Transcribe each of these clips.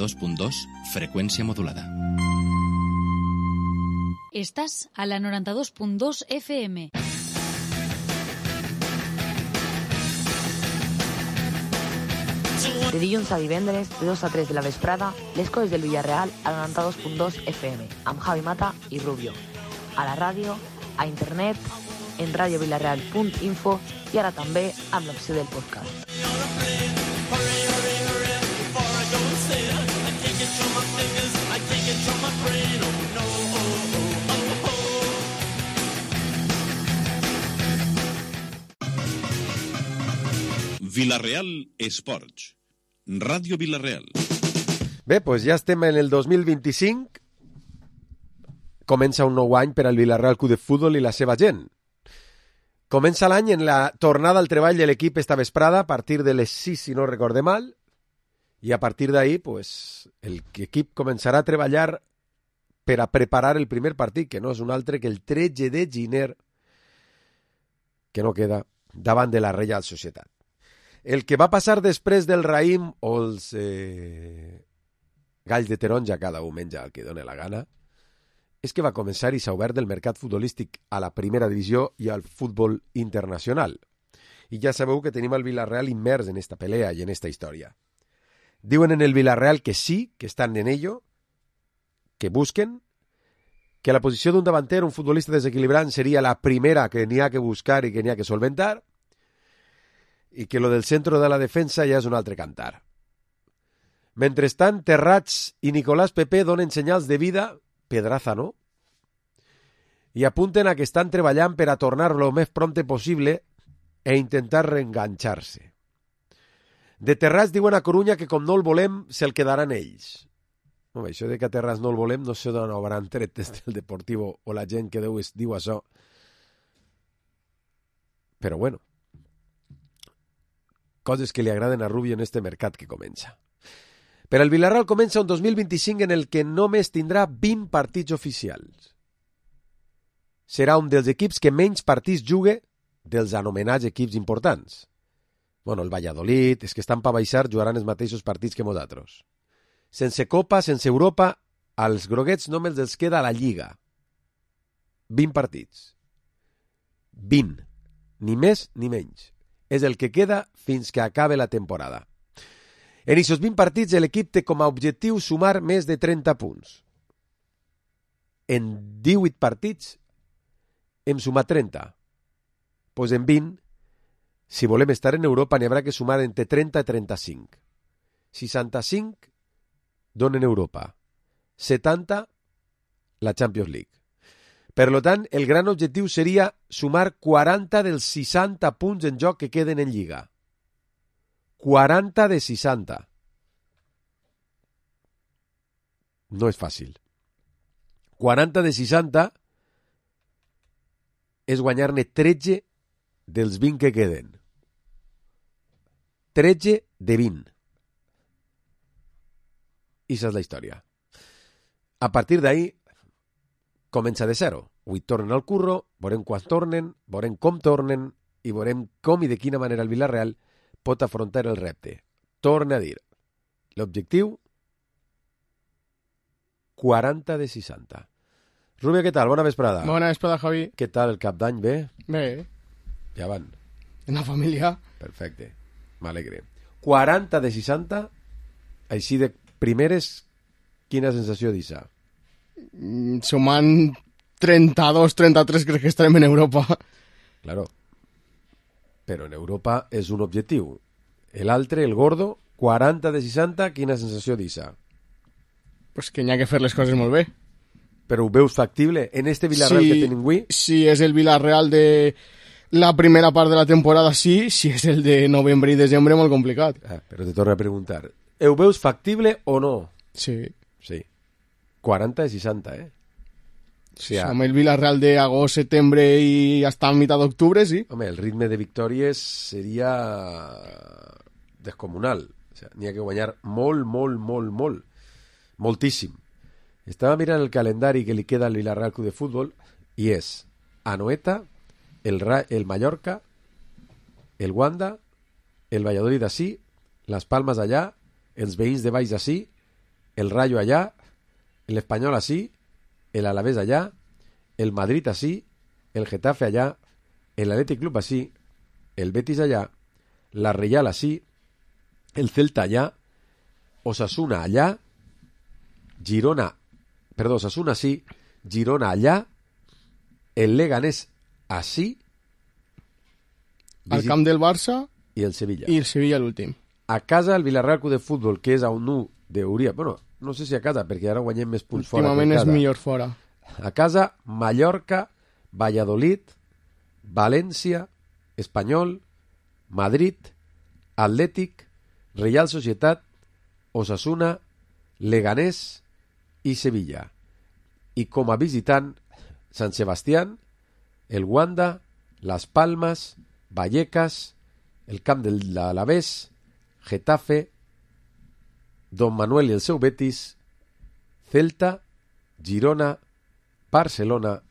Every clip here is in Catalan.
2.2, frecuencia modulada. Estàs a la 92.2 FM. De dilluns a divendres, de 2 a 3 de la vesprada, les coses del Villarreal a la 92.2 FM, amb Javi Mata i Rubio. A la ràdio, a internet, en radiovillarreal.info i ara també amb l'opció del podcast. Villarreal Esports. Ràdio Villarreal. Bé, doncs ja estem en el 2025. Comença un nou any per al Villarreal Club de Futbol i la seva gent. Comença l'any en la tornada al treball de l'equip esta vesprada a partir de les 6, si no recorde mal, i a partir d'ahí pues, l'equip començarà a treballar per a preparar el primer partit, que no és un altre que el 13 de gener, que no queda, davant de la Reial Societat. El que va passar després del raïm o els galls de taronja, cada un menja el que dóna la gana, és que va començar i s'ha obert el mercat futbolístic a la primera divisió i al futbol internacional. I ja sabeu que tenim el Villarreal immers en esta pelea i en esta història. Diuen en el Villarreal que sí, que estan en ello, que busquen, que la posició d'un davanter, un futbolista desequilibrant, seria la primera que n'hi ha que buscar i que n'hi ha que solventar, i que lo del centre de la defensa ja és un altre cantar. Mentrestant, Terrats i Nicolás Pepe donen senyals de vida, Pedraza no, i apunten a que estan treballant per a tornar lo més prompte possible e intentar reenganxar-se. De Terrats diuen a Corunya que com no el volem, se'l quedaran ells. Home, això de que a Terrats no el volem no sé d'on hauran tret des del Deportivo o la gent que diu això. Però bueno, coses que li agraden a Rubio en este mercat que comença. Per al Villarreal comença un 2025 en el que només tindrà 20 partits oficials. Serà un dels equips que menys partits jugue dels anomenats equips importants. Bueno, el Valladolid, és que estan per baixar, jugaran els mateixos partits que nosaltres. Sense Copa, sense Europa, als groguets només els queda la Lliga. 20 partits. 20. Ni més ni menys. És el que queda fins que acabe la temporada. En aquests 20 partits l'equip té com a objectiu sumar més de 30 punts. En 18 partits hem sumat 30. Doncs en 20, si volem estar en Europa, n'hi haurà que sumar entre 30 i 35. 65 donen Europa. 70 la Champions League. Per tant, el gran objectiu seria sumar 40 dels 60 punts en joc que queden en Lliga. 40 de 60. No és fàcil. 40 de 60 és guanyar-ne 13 dels 20 que queden. 13 de 20. I això és la història. A partir d'ahí, comença de zero. Avui tornen al curro, veurem quan tornen, veurem com tornen i veurem com i de quina manera el Villarreal pot afrontar el repte. Torna a dir, l'objectiu 40 de 60. Rubio, què tal? Bona vesprada. Bona vesprada, Javi. Què tal el cap d'any? Bé? Bé. Ja van. En la família. Perfecte. M'alegre. 40 de 60, així de primeres, quina sensació d'issa? Sumant 32, 33 crec que estarem en Europa. Claro. Però en Europa és un objectiu. L'altre, el gordo, 40 de 60, quina sensació d'issa? Pues que n'hi ha que fer les coses molt bé. Però ho veus factible en este Villarreal que tenim avui? Si és el Villarreal de la primera part de la temporada, sí. Si és el de novembre i desembre, molt complicat. Però te torno a preguntar. Ho veus factible o no? Sí. Sí. 40 de 60, Sí, amb el Villarreal d'agost, setembre i fins a mitjà d'octubre, sí. Home, el ritme de victòries seria descomunal. O sea, n'hi ha que guanyar molt, molt, molt, molt. Moltíssim. Estava mirant el calendari que li queda al Villarreal Club de Futbol i és Anoeta, el Mallorca, el Wanda, el Valladolid d'ací, les Palmes allà, els veïns de baix d'ací el Rayo allá, el Español así, el Alavés allá, el Madrid así, el Getafe allá, el Athletic Club así, el Betis allá, la Real así, el Celta allá, Osasuna allá, Osasuna así, Girona allá, el Leganés así, al camp del Barça i el Sevilla. I el Sevilla l'últim. A casa el Villarreal Club de Futbol, que és a un 1 d'hauria... Bueno, no sé si a casa, perquè ara guanyem més punts fora que a casa. Últimament és millor fora. A casa, Mallorca, Valladolid, València, Espanyol, Madrid, Atlètic, Real Societat, Osasuna, Leganés i Sevilla. I com a visitant, Sant Sebastián, el Wanda, Las Palmas, Vallecas, el camp de l'Alavés, Getafe, Don Manuel i el seu Betis, Celta, Girona, Barcelona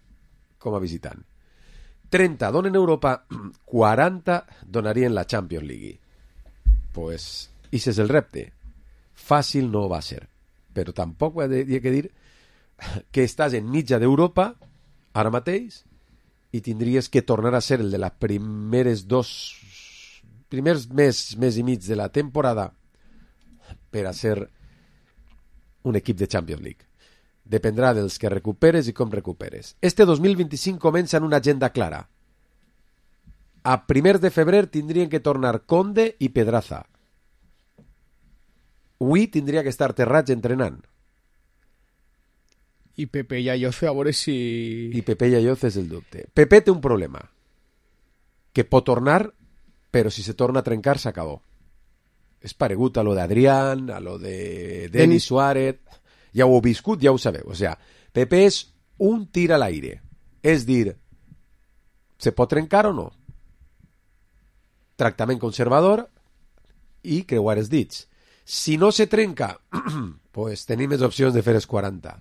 com a visitant. 30 donen Europa, 40 donarien la Champions League. Pues, ese és el repte. Fàcil no va ser. Però tampoc he de dir que estàs en mitja d'Europa ara mateix i tindries que tornar a ser el de les primers mes i mig de la temporada per a ser un equip de Champions League. Dependrà dels que recuperes i com recuperes. Este 2025 comença en una agenda clara. A 1 de febrer tindrien que tornar Conde i Pedraza. Avui tindria que estar Terrats entrenant. I Pepe i Ayoce, a veure si... I Pepe i Ayoce és el dubte. Pepe té un problema. Que pot tornar, però si se torna a trencar s'acabó. És paregut a lo d'Adrián, a lo de Denis Suárez. Ja ho heu viscut, ja ho sabeu. O sea, Pepe és un tir a l'aire. És dir, se pot trencar o no? Tractament conservador i creuar els dits. Si no se trenca, pues tenim més opcions de fer els 40.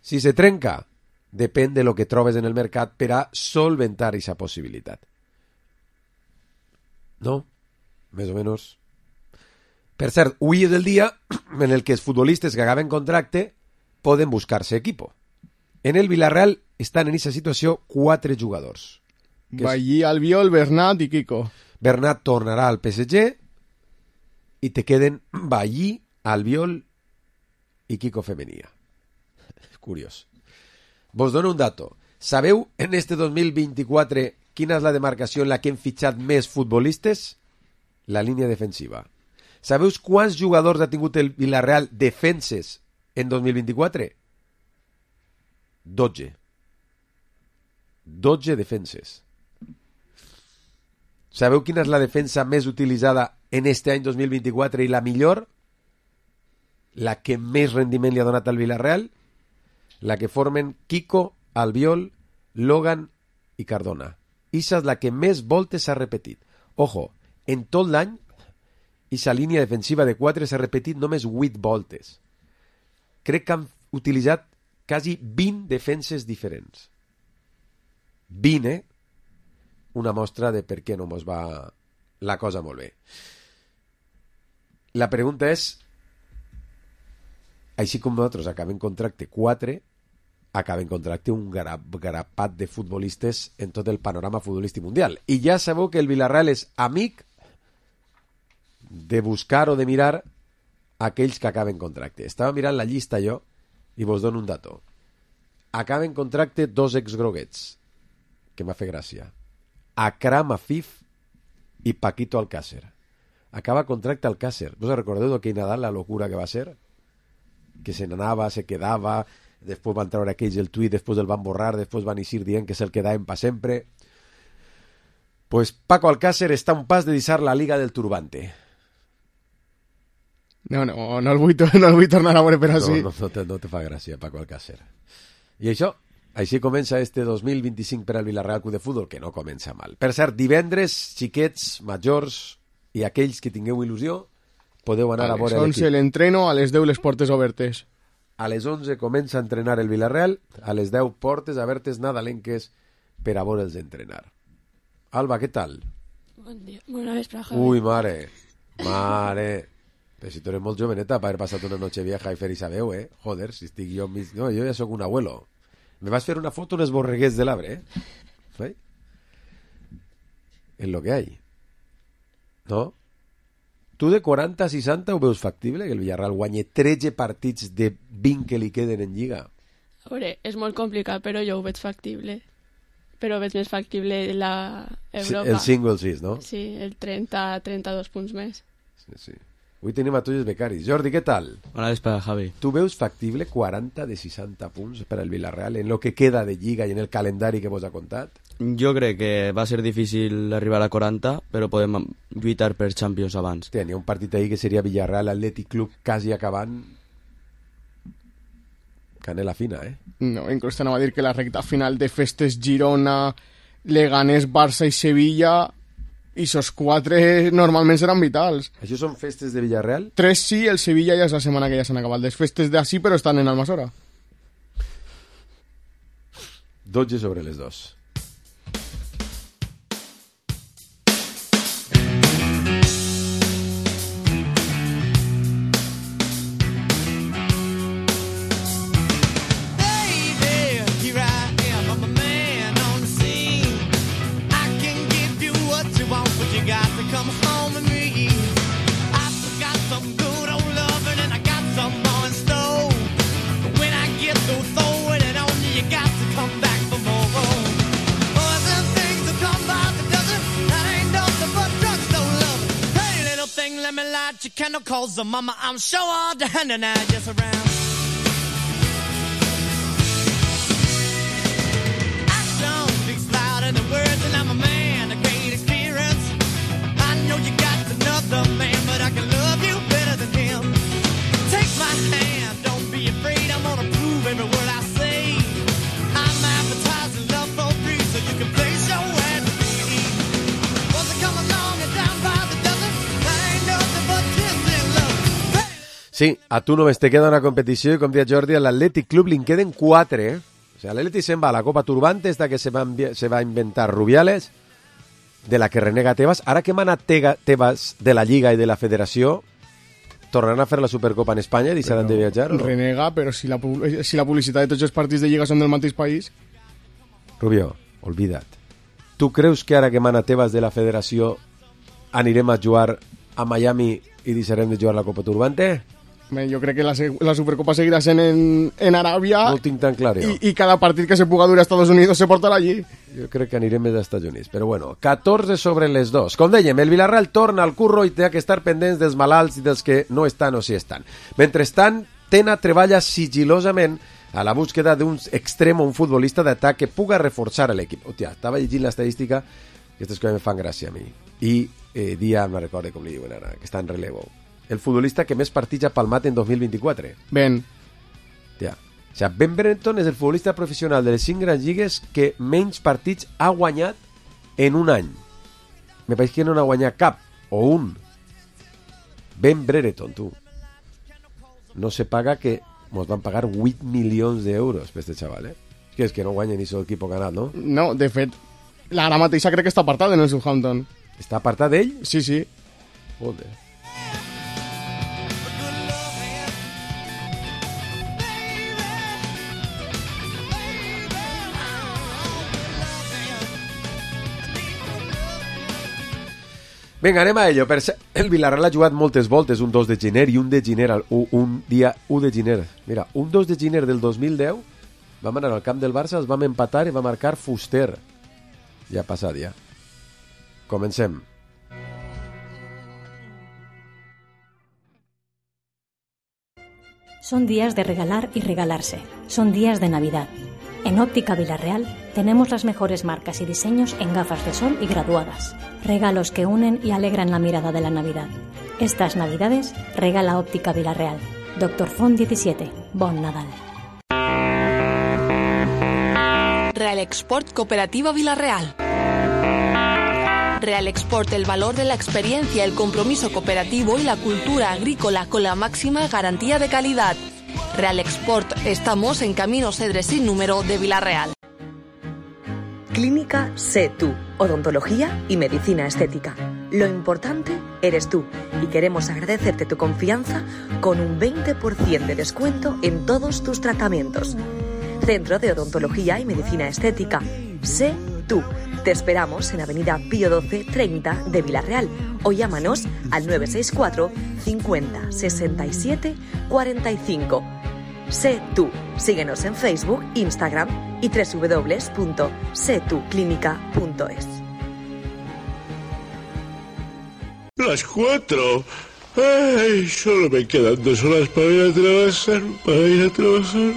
Si se trenca, depèn de lo que trobes en el mercat per a solventar aquesta possibilitat. No? Més o menys. Per cert, avui és el dia en el que els futbolistes que acaben contracte poden buscar-se equipo. En el Villarreal estan en aquesta situació 4 jugadors. Ballí, Albiol, Bernat i Kiko. Bernat tornarà al PSG i te queden Ballí, Albiol i Kiko Femenia. Curiós. Vos dono un dato. Sabeu en este 2024 quina és la demarcació en la que hem fitxat més futbolistes? La línia defensiva. Sabeu quants jugadors ha tingut el Villarreal defenses en 2024? 12. 12 defenses. Sabeu quina és la defensa més utilitzada en este any 2024 i la millor? La que més rendiment li ha donat al Villarreal? La que formen Kiko, Albiol, Logan i Cardona. Ixa és la que més voltes s'ha repetit. Ojo, en tot l'any, ixa línia defensiva de 4 s'ha repetit només 8 voltes. Crec que han utilitzat quasi 20 defenses diferents. 20, una mostra de per què no mos va la cosa molt bé. La pregunta és, així com nosaltres acabem contracte 4, acabem contracte un grapat de futbolistes en tot el panorama futbolístic mundial. I ja sabeu que el Villarreal és amic de buscar o de mirar aquells que acaben contracte. Estava mirant la llista jo i vos dono un dato. Acaben contracte 2 exgroguets, que m'ha fet gràcia. Akram Afif i Paquito Alcácer. Acaba contracte Alcácer. ¿Vos recordeu d'aquell Nadal la locura que va ser? Que se n'anava, se quedava, després van treure aquells el tuit, després el van borrar, després van eixir dient que se'l quedaven pa sempre. Pues Paco Alcácer està a un pas de deixar la Liga del Turbante. No el vull tornar a veure per així. No te fa gràcia, Paco Alcácer. I això, així comença este 2025 per al Villarreal Club de Futbol, que no comença mal. Per cert, divendres, xiquets, majors i aquells que tingueu il·lusió, podeu anar a veure l'equip. A les 11 l'entreno, a les 10 les portes obertes. A les 11 comença a entrenar el Villarreal, a les 10 portes obertes nadalenques per a veure'ls entrenar. Alba, què tal? Bon dia. Bona vesprada, Javi. Ui, mare. Però si tu eres molt joveneta per haver passat una noche vieja i fer-hi sabeu, Joder, si estic jo... No, jo ja sóc un abuelo. Me vas fer una foto unes borreguers de l'arbre, ¿Sí? Es lo que hay. ¿No? Tu de 40 a 60 ho veus factible, que el Villarreal guanyi 13 partits de 20 que li queden en Lliga? A veure, és molt complicat, però jo ho veig factible. Però veig més factible la Europa. El 5 o el 6, no? Sí, el 30-32 punts més. Sí. Avui tenim a tots els becaris. Jordi, què tal? Bona vesprada, Javi. Tu veus factible 40 de 60 punts per al Villarreal en lo que queda de Lliga i en el calendari que vos ha contat? Jo crec que va ser difícil arribar a 40, però podem lluitar per Champions abans. Hi ha un partit ahí que seria Villarreal Atlètic Club quasi acabant. Canela fina, No, inclús t'anava a dir que la recta final de festes Girona, Leganés, Barça i Sevilla, i esos 4 normalment seran vitals. Això són festes de Villarreal? 3 sí, el Sevilla ja és la setmana que ja s'han acabat les festes d'ací, però estan en Almassora. 12 sobre les 2. Cause mama, I'm sure all the hand and I just around. Action speaks louder than words, and I'm a man of great experience. I know you got another man, but I can love you better than him. Take my hand, don't be afraid. I'm gonna prove every word I say. I'm advertising love for free, so you can place your ad with me. Was it come along and down by the dozen? That ain't nothing but Sí, a tu només te queda una competició i, com deia Jordi, a l'Atlètic Club li en queden 4, O sea, l'Atlètic se'n va a la Copa Turbante, esta que se va a inventar Rubiales, de la que renega Tebas. Ara que mana Tebas de la Lliga i de la Federació, tornaran a fer la Supercopa en Espanya i deixaran de viatjar, o no? Renega, però si la publicitat de tots els partits de Lliga són del mateix país... Rubio, olvida't. Tu creus que ara que mana Tebas de la Federació anirem a jugar a Miami i deixarem de jugar la Copa Turbante? Jo crec que la Supercopa seguirà sent en Aràbia. No ho tinc tan clar, jo. I cada partit que se puga dur a Estados Unidos se portarà allí. Jo crec que anirem més als Estats Units. Però bueno, 14 sobre les 2. Com dèiem, el Villarreal torna al curro i té que estar pendents dels malalts i dels que no estan o sí estan. Mentrestant, Tena treballa sigilosament a la búsqueda d'un extrem o un futbolista d'atac que puga reforçar l'equip. Hòstia, estava llegint l'estadística, aquestes coses me fan gràcia a mi. I dia, no recordo com li diuen ara, que està en relevo. El futbolista que més partits ha palmat en 2024. Ben. Ja. O sea, Ben Brereton és el futbolista professional de les 5 grans lligues que menys partits ha guanyat en un any. Me pareix que no n'ha guanyat cap, o un. Ben Brereton, tu. No se paga que nos van pagar 8 milions d'euros per este xaval, És que no guanya ni sol equip ganat, no? No, de fet, ara mateixa crec que està apartat en el Southampton. Està apartat d'ell? Sí, sí. Joder. Vinga, anem a ello. El Villarreal ha jugat moltes voltes, un 2 de gener i un dia 1 de gener. Mira, un 2 de gener del 2010 vam anar al camp del Barça, els vam empatar i va marcar Fuster. Ja ha passat, ja. Comencem. Son días de regalar y regalarse. Son días de Navidad. En Óptica Villarreal tenemos las mejores marcas y diseños en gafas de sol y graduadas. Regalos que unen y alegran la mirada de la Navidad. Estas Navidades regala Óptica Villarreal. Dr. Font 17. Bon Nadal. Real Export Cooperativa Villarreal. Real Export, el valor de la experiencia, el compromiso cooperativo y la cultura agrícola con la máxima garantía de calidad. Real Export, estamos en Camino Cedres sin número de Villarreal. Clínica Sé Tú, odontología y medicina estética. Lo importante eres tú y queremos agradecerte tu confianza con un 20% de descuento en todos tus tratamientos. Centro de Odontología y Medicina Estética. Sé Tú. Te esperamos en Avenida Pío 12 30 de Villarreal o llámanos al 964 50 67 45. Sé Tú. Síguenos en Facebook, Instagram y www.setuclinica.es. Las 4. Ay, solo me quedan 2 horas para ir a trabajar.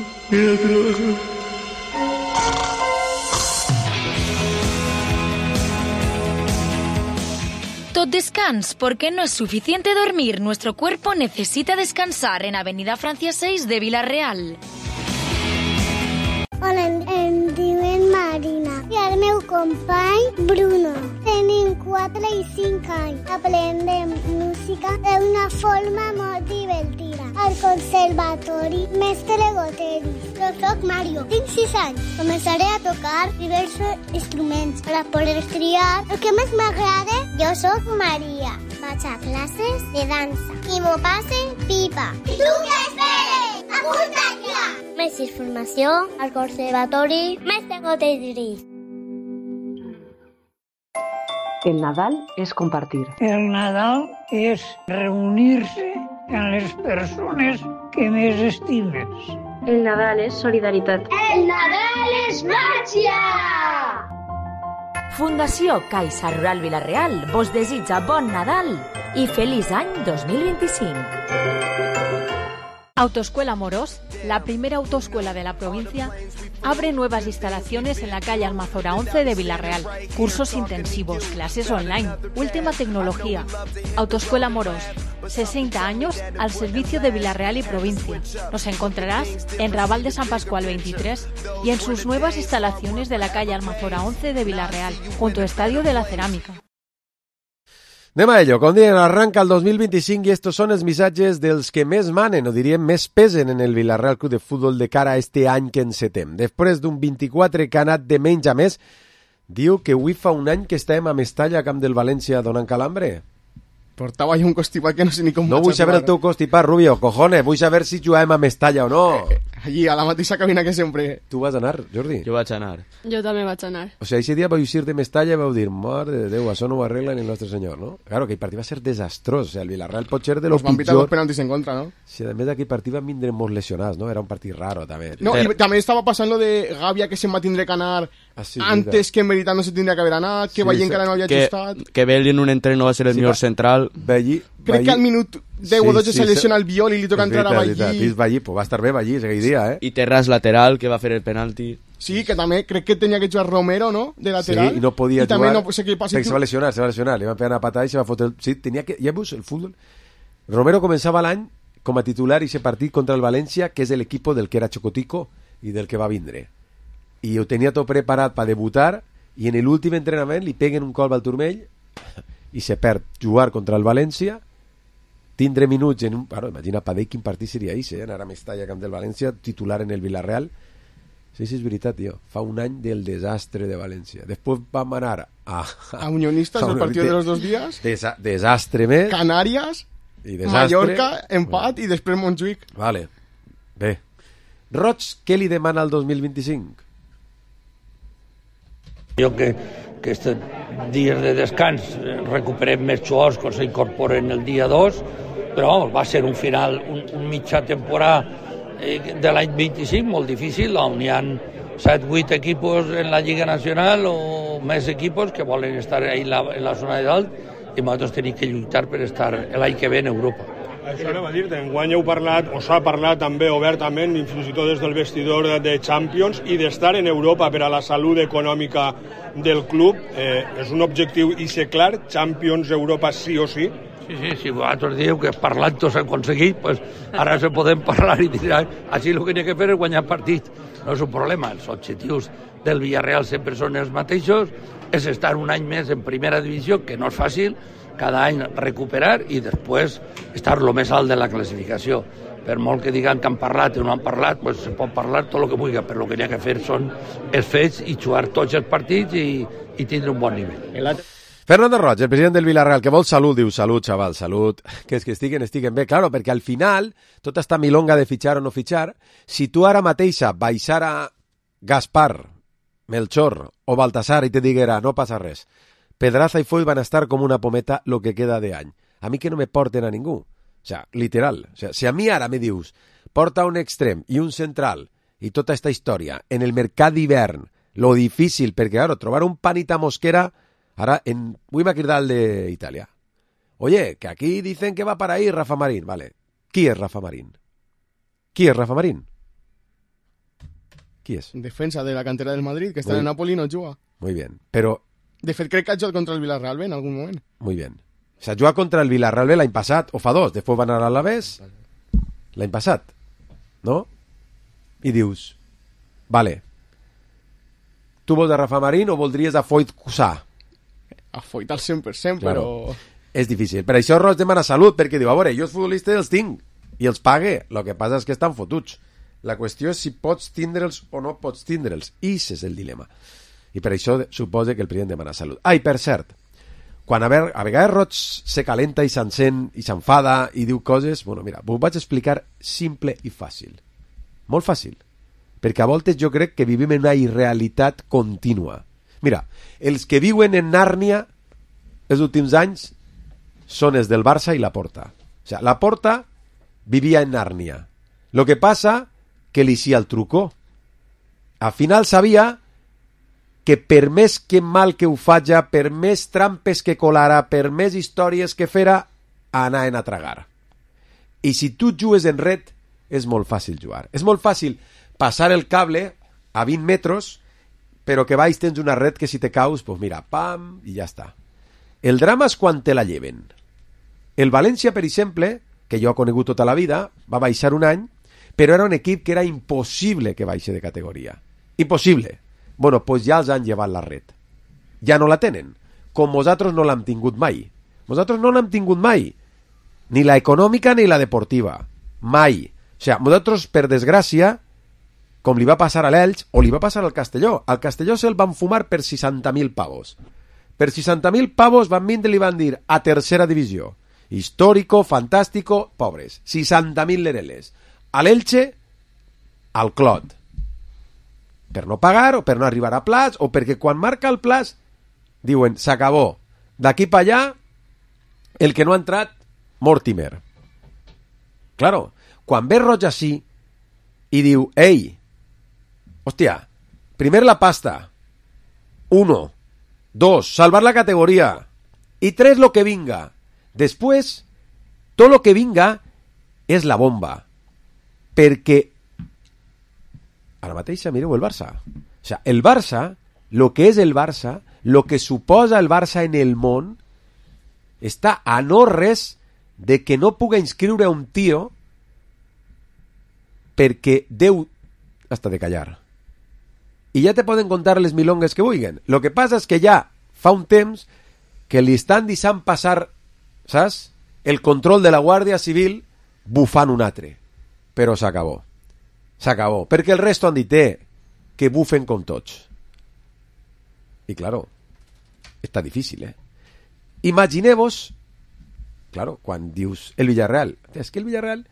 Tot descans, porque no es suficiente dormir. Nuestro cuerpo necesita descansar en Avenida Francia 6 de Villarreal. Hola, em diuen Marina i el meu company Bruno. Tenim 4 i 5 anys. Aprendem música d'una forma molt divertida. Al Conservatori Mestre Goteri. Jo soc Mario, tinc 6 anys. Començaré a tocar diversos instruments per a poder triar el que més m'agrada. Jo soc Maria. Vaig a classes de dansa i m'ho passe pipa. I tu què esperes? Apunta't ja! Més informació al Conservatori Mestre Goteri. El Nadal es compartir. El Nadal és reunir-se amb les persones que més estimes. El Nadal és solidaritat. El Nadal és màgia! Fundació Caixa Rural Villarreal vos desitja bon Nadal y feliz año 2025. Autoescuela Morós, la primera autoescuela de la provincia, abre nuevas instalaciones en la calle Almazora 11 de Villarreal. Cursos intensivos, clases online, última tecnología. Autoescuela Morós, 60 años al servicio de Villarreal y provincia. Nos encontrarás en Raval de San Pascual 23 y en sus nuevas instalaciones de la calle Almazora 11 de Villarreal, junto al Estadio de la Cerámica. Anem a ello. Com diem, arranca el 2025 i estos són els missatges dels que més manen, o diríem més pesen en el Villarreal Club de Futbol de cara a este any que encetem. Després d'un 24 que ha anat de menys a més, diu que avui fa un any que estàvem a Mestalla, a camp del València, donant calambre. Portava jo un constipat que no sé ni com... No vull saber el teu constipat, Rubio, cojones, vull saber si jugàvem a Mestalla o no. Allí, a la mateixa cabina que sempre. Tu vas anar, Jordi? Jo vaig anar. Jo també vaig anar. O sigui, ese dia vau eixir de Mestalla i vau dir, mare de Déu, això no ho arregla ni el nostre senyor, no? Claro, aquell partit va ser desastrós, o sigui, el Villarreal pot ser de los pitjors. Van pitar dos penaltis en contra, ¿no? Sí, a més d'aquell partit van vindre molt lesionats, ¿no? Era un partit raro, també. No, i també estava passant lo de Gàbia, que se'n va tindre que anar antes, que en veritat no se tindria que haver anat, que Vallí encara no havia ajustat... Que Belli en un entreno va ser el millor central. Crec que al minut 10 o 12 se lesiona el Viol i li toca entrar a Vallí. Pues va estar bé Vallí aquell dia, eh? I Terràs lateral, que va fer el penalti. Sí, que també crec que tenia que jugar Romero, ¿no? De lateral. Sí, i no podia jugar. També no sé què passa. Se va lesionar. Li van pegar una patada i se va fotre... Sí, tenia que... Ja veus, el futbol... Romero començava l'any com a titular i ese partit contra el València, que és l'equip del que era Chocotico i del que va vindre. I ho tenia tot preparat per debutar i en l'últim entrenament li peguen un colp al turmell i se perd jugar contra el València, tindre minuts en un... Bueno, imagina Padell quin partit seria això, anar a Mestalla, camp del València, titular en el Villarreal. Sí, és veritat, tio. Fa un any del desastre de València. Després vam anar a Unionistas, el partit de los 2 días. Desastre més. Canàries, Mallorca, empat, i després Montjuïc. Vale. Bé. Roig, què li demana al 2025? Jo que aquests dies de descans recuperem més jugadors que s'incorporen el dia 2, però va ser un final, un mitja temporada de l'any 25 molt difícil, on hi ha 7-8 equipos en la Lliga Nacional o més equipos que volen estar en la zona de dalt i nosaltres tenim que lluitar per estar l'any que ve en Europa. Això anem a dir-te, enguany heu parlat, o s'ha parlat també obertament, fins i tot des del vestidor de Champions, i d'estar en Europa per a la salut econòmica del club. És un objectiu i ser clar, Champions, Europa sí o sí? Sí, si vosaltres dieu que parlant-ho s'ha aconseguit, pues ara se podem parlar i dir, així el que n'hi ha que fer és guanyar partit. No és un problema, els objectius del Villarreal sempre són els mateixos, és estar un any més en primera divisió, que no és fàcil, cada any recuperar i després estar lo més alt de la classificació. per molt que diguen que han parlat o no han parlat, pues se pot parlar tot el que vulgui, però el que n'hi ha que fer són els fets i jugar tots els partits i tindre un bon nivell. Fernando Roig, el president del Villarreal, que vol salut, diu salut, xaval, salut, que és que estiguen bé. Claro, perquè al final, tota esta milonga de fitxar o no fitxar, si tu ara mateixa baixara Gaspar, Melchor o Baltasar i te diguera, no passa res, Pedraza i Foy van a estar com una pometa lo que queda de any. A mi que no me porten a ningú. O sea, literal. O sea, si a mi ara me dius, porta un extrem i un central i tota esta història en el mercat d'hivern, lo difícil, perquè, claro, trobar un Panita Mosquera. Ahora, voy a cridar al de Italia. Oye, que aquí dicen que va para ahí Rafa Marín. Vale. ¿Quién es Rafa Marín? ¿Quién es Rafa Marín? ¿Quién es? Defensa de la cantera del Madrid, que està en el Napoli i no juga. Muy bien, pero... De fet, crec que ha jugat contra el Villarreal B en algun moment. Muy bien. O sea, juga contra el Villarreal B l'any passat, o fa dos, després van anar a l'Alavés, l'any passat, no? I dius, vale, tu vols a Rafa Marín o voldries a Foyt Cussà? A Foyt al 100%, claro. Però... És difícil. Per això Roig demana salut, perquè diu, a veure, jo els futbolistes els tinc i els pague. El que passa és que estan fotuts. La qüestió és si pots tindre'ls o no pots tindre'ls. I ese és el dilema. I per això suposa que el president demana salut. Ah, i per cert, quan a vegades Roig se calenta i s'encén i s'enfada i diu coses, bueno, mira, ho vaig explicar simple i fàcil. Molt fàcil. Perquè a voltes jo crec que vivim en una irrealitat contínua. Mira, els que viuen en Nàrnia els últims anys són els del Barça i Laporta. O sea, Laporta vivia en Nàrnia. Lo que passa que li hacía el truco. Al final sabia que per més que mal que ho faja, per més trampes que colara, per més històries que fera, anaven a tragar. I si tu jugues en red, és molt fàcil jugar. És molt fàcil passar el cable a 20 metres, però que baix tens una red que si te caus, pues mira, pam, i ja està. El drama és quan te la lleven. El València, per exemple, que jo he conegut tota la vida, va baixar un any, però era un equip que era impossible que baixi de categoria. Impossible. Bueno, pues ja els han llevat la red. Ja no la tenen. Com vosaltres no l'hem tingut mai. Vosaltres no l'hem tingut mai. Ni la econòmica ni la deportiva. Mai. O sigui, vosaltres, per desgràcia, com li va passar a l'Elx o li va passar al Castelló. Al Castelló se'l van fumar per 60.000 pavos. Per 60.000 pavos van vindre i li van dir a tercera divisió. Histórico, fantástico, pobres. 60.000 lereles. A l'Elche, al Clot. Per no pagar o per no arribar a plaç o perquè quan marca el plaç diuen, s'acabó. D'aquí pa allà, el que no ha entrat, Mortimer. Claro, quan ve Roig així i diu, ei, hòstia, primer la pasta, 1, 2, salvar la categoria, i 3, lo que vinga. Després, tot lo que vinga és la bomba. Perquè ara mateix mireu el Barça. O sea, el Barça, lo que és el Barça, lo que suposa el Barça en el món, està a no res de que no puga inscriure un tio perquè Déu hasta de callar. I ja te poden contar les milongues que vulguin. Lo que passa és que ja fa un temps que li estan deixant passar, saps? El control de la Guàrdia Civil bufant un altre. Però s'acabó. S'acabó. Perquè el resto han dit que bufen com tots. I claro, està difícil, Imagineu-vos, claro, quan dius el Villarreal, és que el Villarreal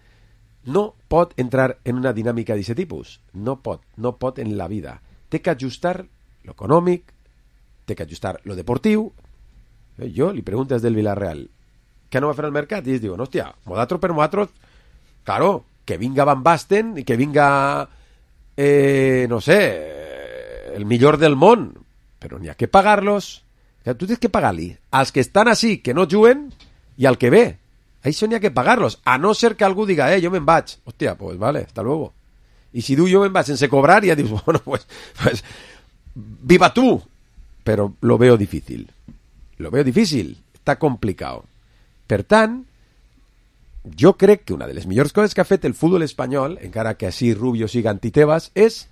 no pot entrar en una dinàmica d'aquest tipus. No pot en la vida. Té que ajustar lo econòmic, té que ajustar lo deportiu. Jo li pregunto des del Villarreal, què no va fer el mercat? I ells diuen, hòstia, modatros per modatros, claro, que vinga Van Basten i que vinga, no sé, el millor del món, però n'hi ha que pagar-los. Tu tens que pagar-li als que estan així, que no juguen, i al que ve. Això n'hi ha que pagar-los, a no ser que algú diga, jo me'n vaig. Hòstia, pues vale, hasta luego. I si diu jo me'n vaig sense cobrar, ja dius, bueno, pues viva tu. Però lo veo difícil. Lo veo difícil. Està complicat. Per tant, jo crec que una de les millors coses que ha fet el futbol espanyol, encara que així Rubio siga anti-Tebas, és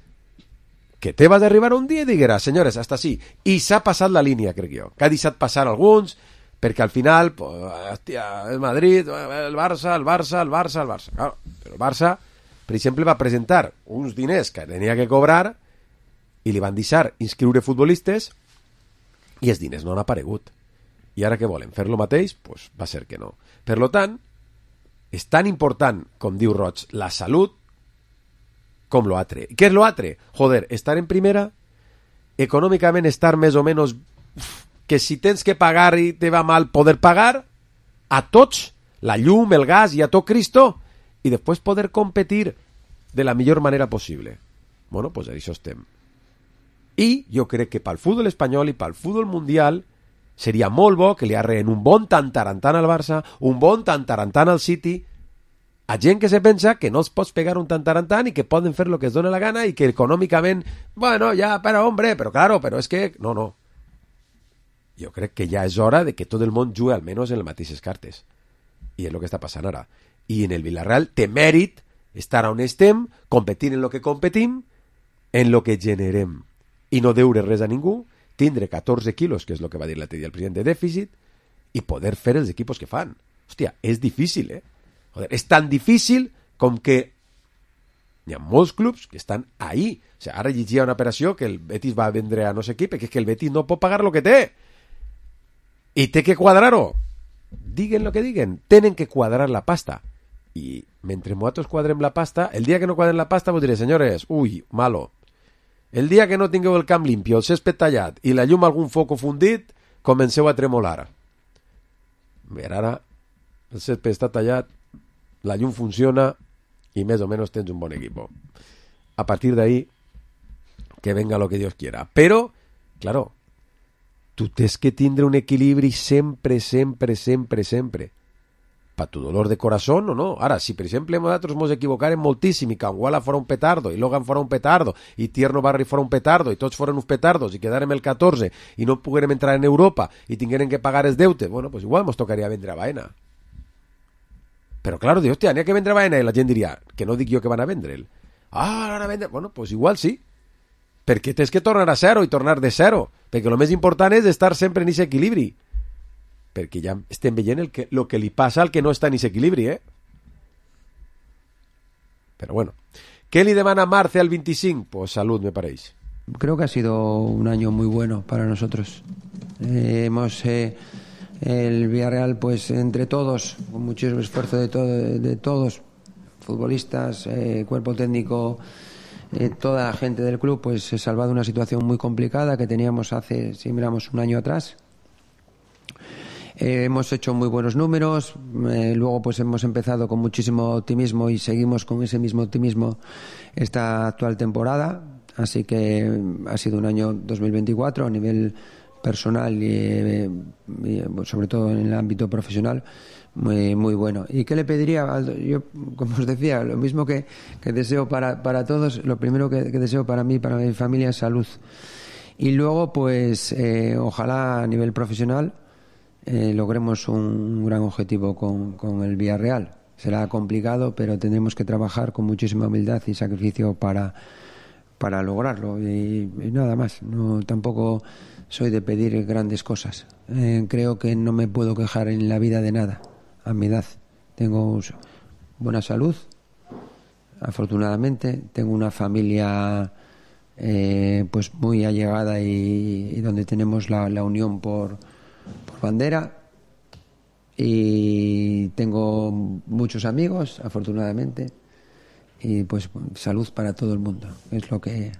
que Tebas d'arribar un dia i diguera, senyores, hasta així. I s'ha passat la línia, crec jo. Que ha deixat passar alguns, Perquè al final, pues, hòstia, el Madrid, el Barça... Claro, però el Barça, per exemple, va presentar uns diners que tenia que cobrar i li van deixar inscriure futbolistes i els diners no han aparegut. I ara què volen? Fer lo mateix? Pues va ser que no. Per lo tant, és tan important, com diu Roig, la salut com lo altre. Què és lo altre? Joder, estar en primera, econòmicament estar més o menys... que si tens que pagar i te va mal poder pagar a tots, la llum, el gas i a tot Cristo, i després poder competir de la millor manera possible. Bueno, pues això estem. I jo crec que pel futbol espanyol i pel futbol mundial seria molt bo que li arreen un bon tantarantant al Barça, un bon tantarantant al City, a gent que se pensa que no es pots pegar un tantarantant i que poden fer lo que es dona la gana i que econòmicament, bueno, ja, però hombre, però claro, però és que... No. Jo crec que ja és hora de que tot el món jugui almenys en les mateixes cartes. I és el que està passant ara. I en el Villarreal té mèrit estar on estem, competint en lo que competim, en lo que generem. I no deure res a ningú, tindre 14 quilos, que és el que va dir l'altre dia el president de dèficit, i poder fer els equipos que fan. Hòstia, és difícil, Joder, és tan difícil com que hi ha molts clubs que estan ahí. O sigui, ara llegia una operació que el Betis va vendre a no sé qui, perquè és que el Betis no pot pagar lo que té. I té que quadrar-ho. Diguen lo que diguen, tenen que quadrar la pasta. I mentre nosaltres quadrem la pasta, el dia que no quadren la pasta vos diré, senyores, ui, malo. El dia que no tingueu el camp limpio, el césped tallat i la llum algun foco fundit, comenceu a tremolar. Bé, ara el césped està tallat, la llum funciona i més o menys tens un bon equipo. A partir d'ahí, que venga lo que Dios quiera. Però, claro, tu tens que tindre un equilibri sempre. Pa tu dolor de corazón o no. Ara, si per exemple nosaltres ens equivocarem moltíssim i Canguala fora un petardo, i Logan fora un petardo, i Tierno Barri fora un petardo, i tots foren uns petardos, i quedarem el 14, i no poguérem entrar en Europa, i tinguérem que pagar els deutes, bueno, pues igual ens tocaria vendre a Baena. Però claro, dius, hòstia, n'hi ha que vendre a Baena, i la gent diria, que no dic jo que van a vendre'l. Van a vendre... Bueno, pues igual sí. Perquè tens que tornar a zero i tornar de zero, perquè el més important és estar sempre en aquest equilibri, perquè ja estem veient el que li passa al que no està en aquest equilibri, Però bueno, ¿qué le demanda Marce al 25? Pues salud, me parece. Creo que ha sido un año muy bueno para nosotros. El Villarreal, pues entre todos, con muchísimo esfuerzo de todos, futbolistas, cuerpo técnico, toda la gente del club, pues se ha salvado una situación muy complicada que teníamos hace, si miramos, un año atrás. Hemos hecho muy buenos números, luego pues hemos empezado con muchísimo optimismo y seguimos con ese mismo optimismo esta actual temporada, así que ha sido un año 2024 a nivel personal y sobre todo en el ámbito profesional muy bueno. ¿Y qué le pediría? Yo, como os decía, lo mismo que deseo para todos, lo primero que deseo para mí, para mi familia, es salud. Y luego pues ojalá a nivel profesional logremos un gran objetivo con el Villarreal. Será complicado, pero tendremos que trabajar con muchísima humildad y sacrificio para lograrlo. Y nada más. No, tampoco soy de pedir grandes cosas. Creo que no me puedo quejar en la vida de nada. A mi edad tengo buena salud, afortunadamente. Tengo una familia pues muy allegada y donde tenemos la unión por bandera, y tengo muchos amigos, afortunadamente, y pues salud para todo el mundo, es lo que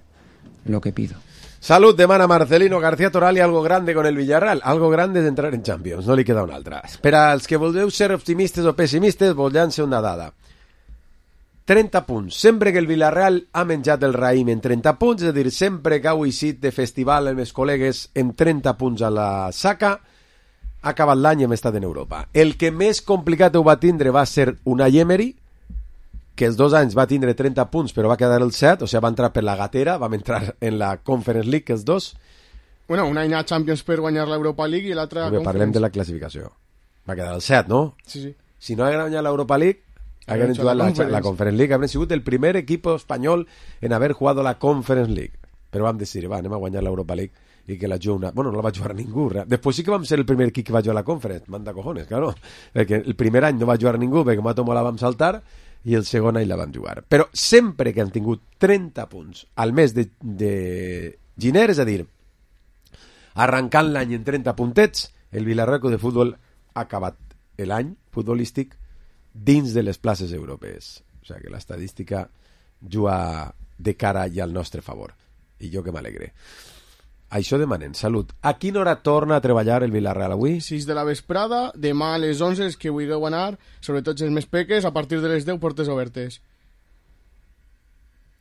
pido. Salud demana Marcelino García Toral i algo grande con el Villarreal, algo grande d'entrar en Champions, no li queda una altra. Per als que voleu ser optimistes o pessimistes, vos llanço una dada. 30 punts. Sempre que el Villarreal ha menjat el raïm en 30 punts, és a dir, sempre que heu eixit de festival amb els col·legues amb 30 punts a la saca, ha acabat l'any i hem estat en Europa. El que més complicat ho va tindre va ser Unai Emery, que els 2 anys va tindre 30 punts però va quedar el 7, o sigui, va entrar per la gatera, vam entrar en la Conference League, els dos. Bueno, un any a Champions per guanyar l'Europa League i l'altre a Conference. Parlem de la classificació. Va quedar el 7, no? Sí. Si no hagués guanyat l'Europa League, hagueren jugat la Conference League, hagueren sigut el primer equip espanyol en haver jugado la Conference League. Però vam decidir, anem a guanyar l'Europa League i que la juga bueno, no la va jugar ningú. Després sí que vam ser el primer equip que va jugar a la Conference, manda cojones, claro, perquè el primer any no va jugar ningú perquè Matomo la vam saltar i el segon any la van jugar. Però sempre que han tingut 30 punts al mes de gener, és a dir, arrencant l'any en 30 puntets, el Villarreal Club de Futbol ha acabat l'any futbolístic dins de les places europees. O sigui que l'estadística juga de cara i al nostre favor. I jo que m'alegre. Això demanen, salut. A quina hora torna a treballar el Villarreal avui? 6 de la vesprada, demà a les 11 és que vulgueu anar, sobretot els més peques, a partir de les 10 portes obertes.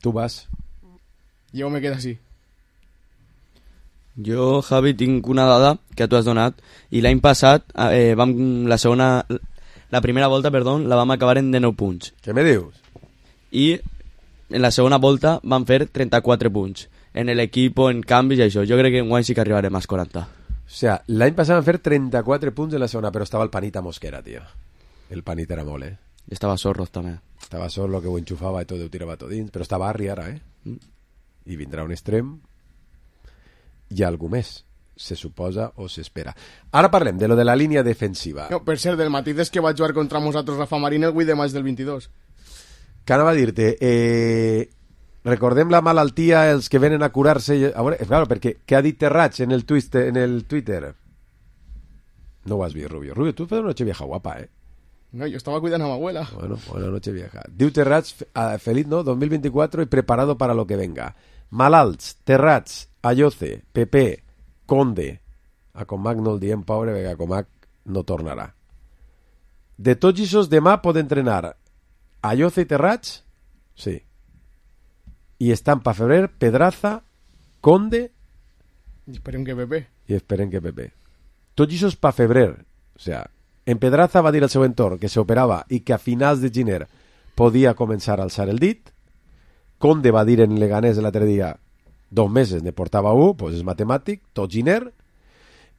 Tu vas? Jo me quedo així. Jo, Javi, tinc una dada que tu has donat i l'any passat la primera volta, la vam acabar en 19 punts. Què me dius? I en la segona volta van fer 34 punts. En l'equip, en canvis i això. Jo crec que enguany sí que arribarem als 40. O sea, l'any passat van fer 34 punts en la segona, però estava el Panita Mosquera, tio. El Panita era molt, I estava Sorros, també. Estava Sorro, que ho enxufava i tot, ho tirava tot dins, però estava Arri ara, I vindrà un extrem i algú més, se suposa o s'espera. Ara parlem de lo de la línia defensiva. No, per cert, del matí és que va jugar contra nosaltres Rafa Marín el 8 de maig del 22. Que anava a dir-te, recordem la malaltia, els que venen a curar-se. A veure, claro, perquè què ha dit Terrats en el Twitter? No ho has vist, Rubio. Rubio, tu fas una noche vieja guapa, No, yo estaba cuidando a mi abuela. Bueno, buena noche vieja. Diu Terrats, feliz, ¿no? 2024 y preparado para lo que venga. Malalts, Terrats, Ayoce, Pepe, Conde. A Comac no el diem, pobre, perquè a Comac no tornarà. De tots aquests demà pot entrenar Ayoce i Terrats? Sí. I estan pa febrer Pedraza, Conde i esperem que Pepe. Tots aquests pa febrer. O sea, en Pedraza va dir al seu entorn que s'operava i que a finals de gener podia començar a alçar el dit. Conde va dir en Leganés l'altre dia 2 mesos ne portava 1, pues és matemàtic, tot gener.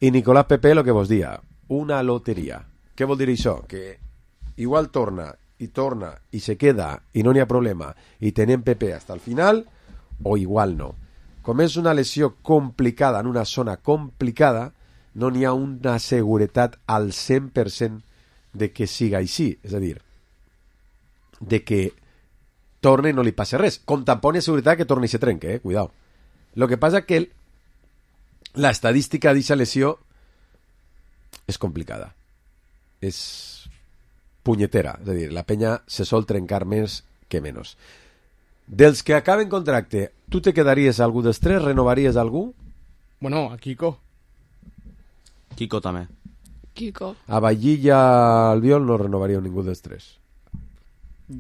I Nicolás Pepe lo que vos dia, una loteria. Què vol dir això? Que igual torna i se queda i no n'hi ha problema i tenem Pepe hasta el final, o igual no. Com és una lesió complicada en una zona complicada, no n'hi ha una seguretat al 100% de que siga així, és a dir, de que torne i no li passe res, com tampoc hi ha seguretat que torni i se trenque, cuidao. Lo que passa que la estadística d'aquesta lesió és complicada, és punyetera, és a dir, la penya se sol trencar més que menys. Dels que acaben contracte, tu te quedaries algú dels 3? Renovaries algú? Bueno, a Kiko també. A Ballí i a Albiol no renovaria ningú dels 3.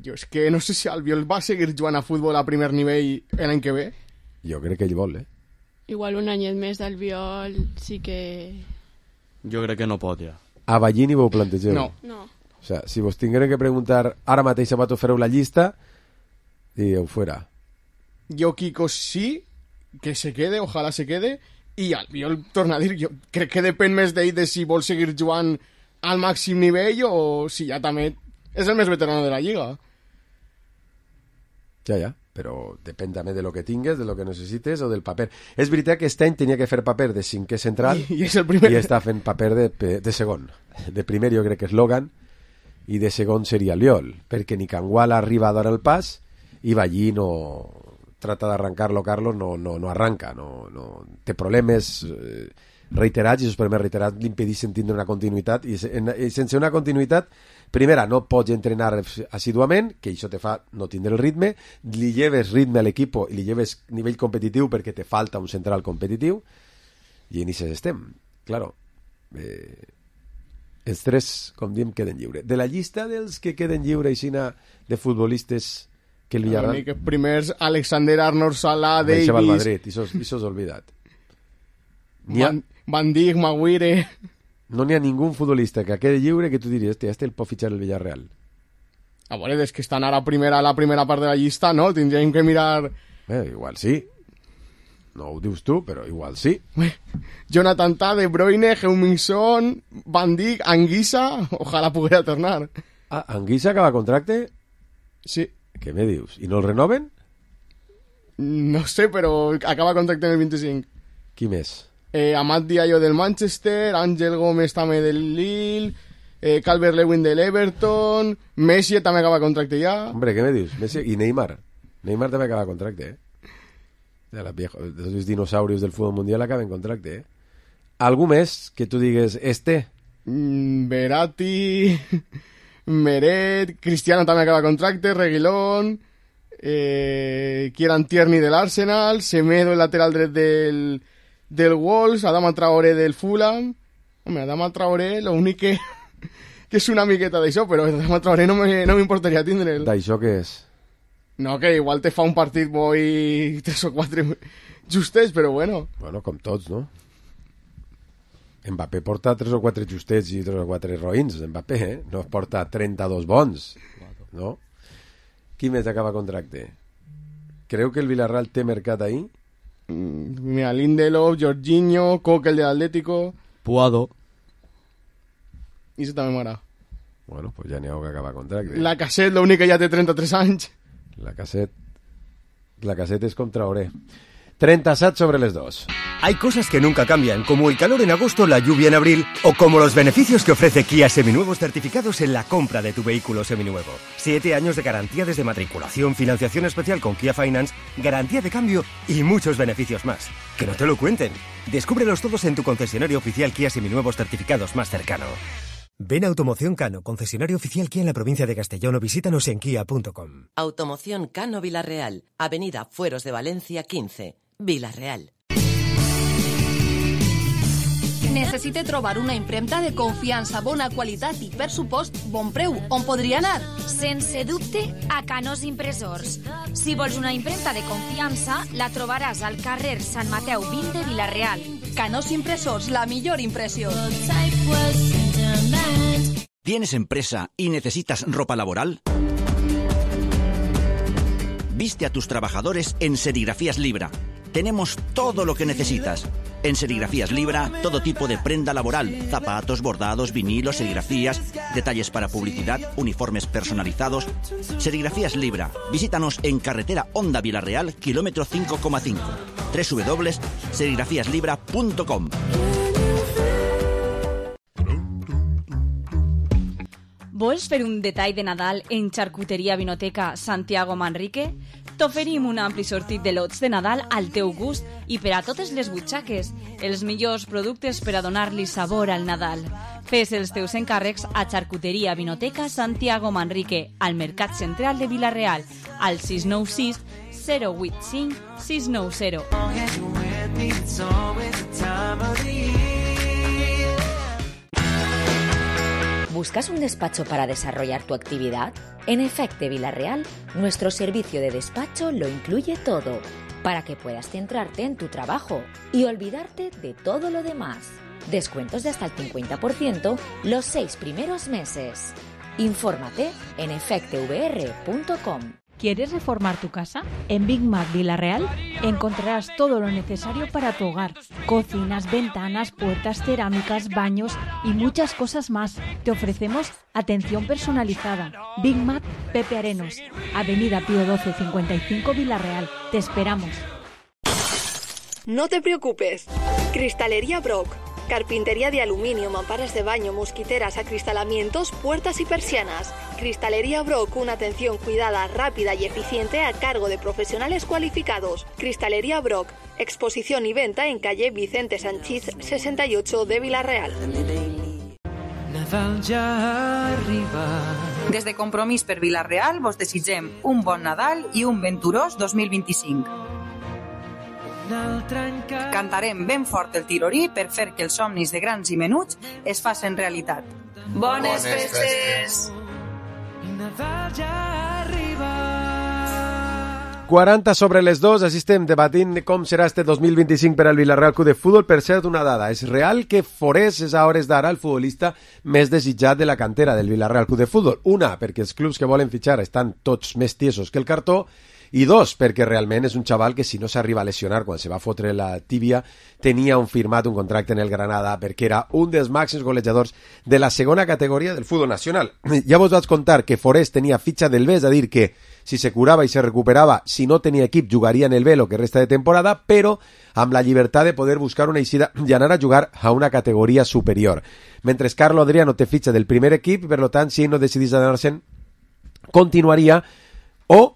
Jo és que no sé si Albiol va seguir jugant a futbol a primer nivell l'any que ve. Jo crec que ell vol, Igual un anyet més d'Albiol sí que... Jo crec que no pot, ja. A Ballí ni vau plantegeu? No. O sea, si vos tingueren que preguntar ara mateix a Pato fareu la llista, diríeu fuera. Jo Kiko sí, que se quede, ojalà se quede, i Albiol, torna a dir, jo crec que depèn més d'ell de si vol seguir jugant al màxim nivell o si ja també és el més veterano de la lliga. Ja, però depèn també de lo que tingues, de lo que necessites o del paper. És veritat que aquest any tenia que fer paper de cinquè central i és el primer. I està fent paper de segon. De primer jo crec que és Logan i de segon seria Albiol, perquè ni Cangual arriba a dar el pas i Ballí no trata d'arrancar-lo, Carlos, no arranca, no té problemes reiterats i els problemes reiterats l'impedeixen tindre una continuïtat i sense una continuïtat, primera, no pots entrenar assiduament, que això te fa no tindre el ritme, li lleves ritme a l'equip i li lleves nivell competitiu perquè te falta un central competitiu i en això estem. Claro, els 3, com diem, queden lliure. De la llista dels que queden lliure aixina de futbolistes que el Villarreal... Que primers, Alexander Arnold, Salah, Davis... Això va al Madrid, això s'ha oblidat. Van Dijk, Maguire... No n'hi ha ningú futbolista que quede lliure que tu diries, el pot fitxar el Villarreal. A veure, és que estan ara a la primera part de la llista, no? Tindríem que mirar... Igual sí. No ho dius tu, però igual sí. Jonathan Tah, De Bruyne, Heung-min Son, Van Dijk, Anguissa... Ojalà poguera tornar. Anguissa acaba contracte? Sí. Què me dius? I no el renoven? No sé, però acaba contracte en el 25. Qui més? Amad Diallo del Manchester, Ángel Gómez també del Lille, Calvert-Lewin del Everton, Messi també acaba contracte ja. Hombre, què me dius? Messi i Neymar. Neymar també acaba contracte, De los dinosaurios del fútbol mundial acaben contracte, Algú més que tu digues Verratti, Meret, Cristiano també acaba contracte, Reguilón, Kieran Tierney del Arsenal, Semedo, el lateral dret del Wolves, Adama Traoré del Fulham. Home, Adama Traoré, lo únic que és una miqueta d'això, però Adama Traoré no m'importaria tindre'l. D'això què és? No, que igual te fa un partit bo i 3 o 4 justets, però bueno. Bueno, com tots, no? Mbappé porta 3 o 4 justets i 3 o 4 roïns, Mbappé, No porta 32 bons, no? Qui més acaba contracte? Creu que el Villarreal té mercat ahí? Mira, Lindelof, Jorginho, Coque, el de l'Atlético... Puado. I això també m'agrada. Bueno, pues ja n'hi ha que acaba contracte. La Cassette, l'únic que ja té 33 anys. La Cassette es com Traoré. 37 sobre les 2. Hay cosas que nunca cambian, como el calor en agosto, la lluvia en abril, o como los beneficios que ofrece Kia Seminuevos certificados en la compra de tu vehículo seminuevo. 7 años de garantía desde matriculación, financiación especial con Kia Finance, garantía de cambio y muchos beneficios más. Que no te lo cuenten. Descúbrelos todos en tu concesionario oficial Kia Seminuevos certificados más cercano. Ven a Automoción Cano, concesionario oficial Kia en la provincia de Castellón, o visítanos en kia.com. Automoción Cano Villarreal, Avenida Fueros de Valencia 15, Villarreal. Necessite trobar una impremta de confiança, bona qualitat i, per supost, bon preu. On podria anar? Sense dubte, a Canós Impressors. Si vols una impremta de confiança, la trobaràs al carrer Sant Mateu 20 de Vilareal. Canós Impressors, la millor impressió. ¿Tienes empresa y necesitas ropa laboral? Viste a tus trabajadores en Serigrafías Libra. Tenemos todo lo que necesitas. En Serigrafías Libra, todo tipo de prenda laboral, zapatos, bordados, vinilos, serigrafías, detalles para publicidad, uniformes personalizados. Serigrafías Libra. Visítanos en carretera Honda Vilareal, kilómetro 5,5. www.serigrafiaslibra.com. Vols fer un detall de Nadal en Xarcuteria Vinoteca Santiago Manrique? T'oferim un ampli sortit de lots de Nadal al teu gust i per a totes les butxaques, els millors productes per a donar-li sabor al Nadal. Fes els teus encàrrecs a Xarcuteria Vinoteca Santiago Manrique, al Mercat Central de Vilareal, al 696 085 690. ¿Buscas un despacho para desarrollar tu actividad? En Efecte Vilareal, nuestro servicio de despacho lo incluye todo, para que puedas centrarte en tu trabajo y olvidarte de todo lo demás. Descuentos de hasta el 50% los 6 primeros meses. Infórmate en efectevr.com. ¿Quieres reformar tu casa? En Big Mac Vilareal encontrarás todo lo necesario para tu hogar. Cocinas, ventanas, puertas, cerámicas, baños y muchas cosas más. Te ofrecemos atención personalizada. Big Mac Pepe Arenos, Avenida Pío 12 55 Vilareal. Te esperamos. No te preocupes. Cristalería Brock. Carpintería de aluminio, mamparas de baño, mosquiteras, acristalamientos, puertas y persianas. Cristalería Brock, una atención cuidada, rápida y eficiente a cargo de profesionales cualificados. Cristalería Brock, exposición y venta en calle Vicente Sanchís 68 de Vilareal. Nadal ja arriba. Des de Compromís per Vilareal vos desitgem un bon Nadal i un venturós 2025. Cantarem ben fort el tirorí per fer que els somnis de grans i menuts es facin realitat. Bones festes! 40 sobre les 2, així estem debatint com serà este 2025 per al Vilareal Club de Futbol. Per cert, una dada, és real que Forés és a hores d'ara el futbolista més desitjat de la cantera del Vilareal Club de Futbol. Una, perquè els clubs que volen fitxar estan tots més tiesos que el cartó, I 2, perquè realment és un xaval que si no s'arriba a lesionar quan se va fotre la tíbia, tenia firmat un contracte en el Granada perquè era un dels màxims golejadors de la segona categoria del futbol nacional. Ja vos vaig contar que Forés tenia fitxa del B, és a dir, que si se curava i se recuperava, si no tenia equip, jugaria en el B lo que resta de temporada, però amb la llibertat de poder buscar una eixida i anar a jugar a una categoria superior. Mentre Carlo Adriano té fitxa del primer equip i, per tant, si ell no decidís anar-se'n, continuaria, o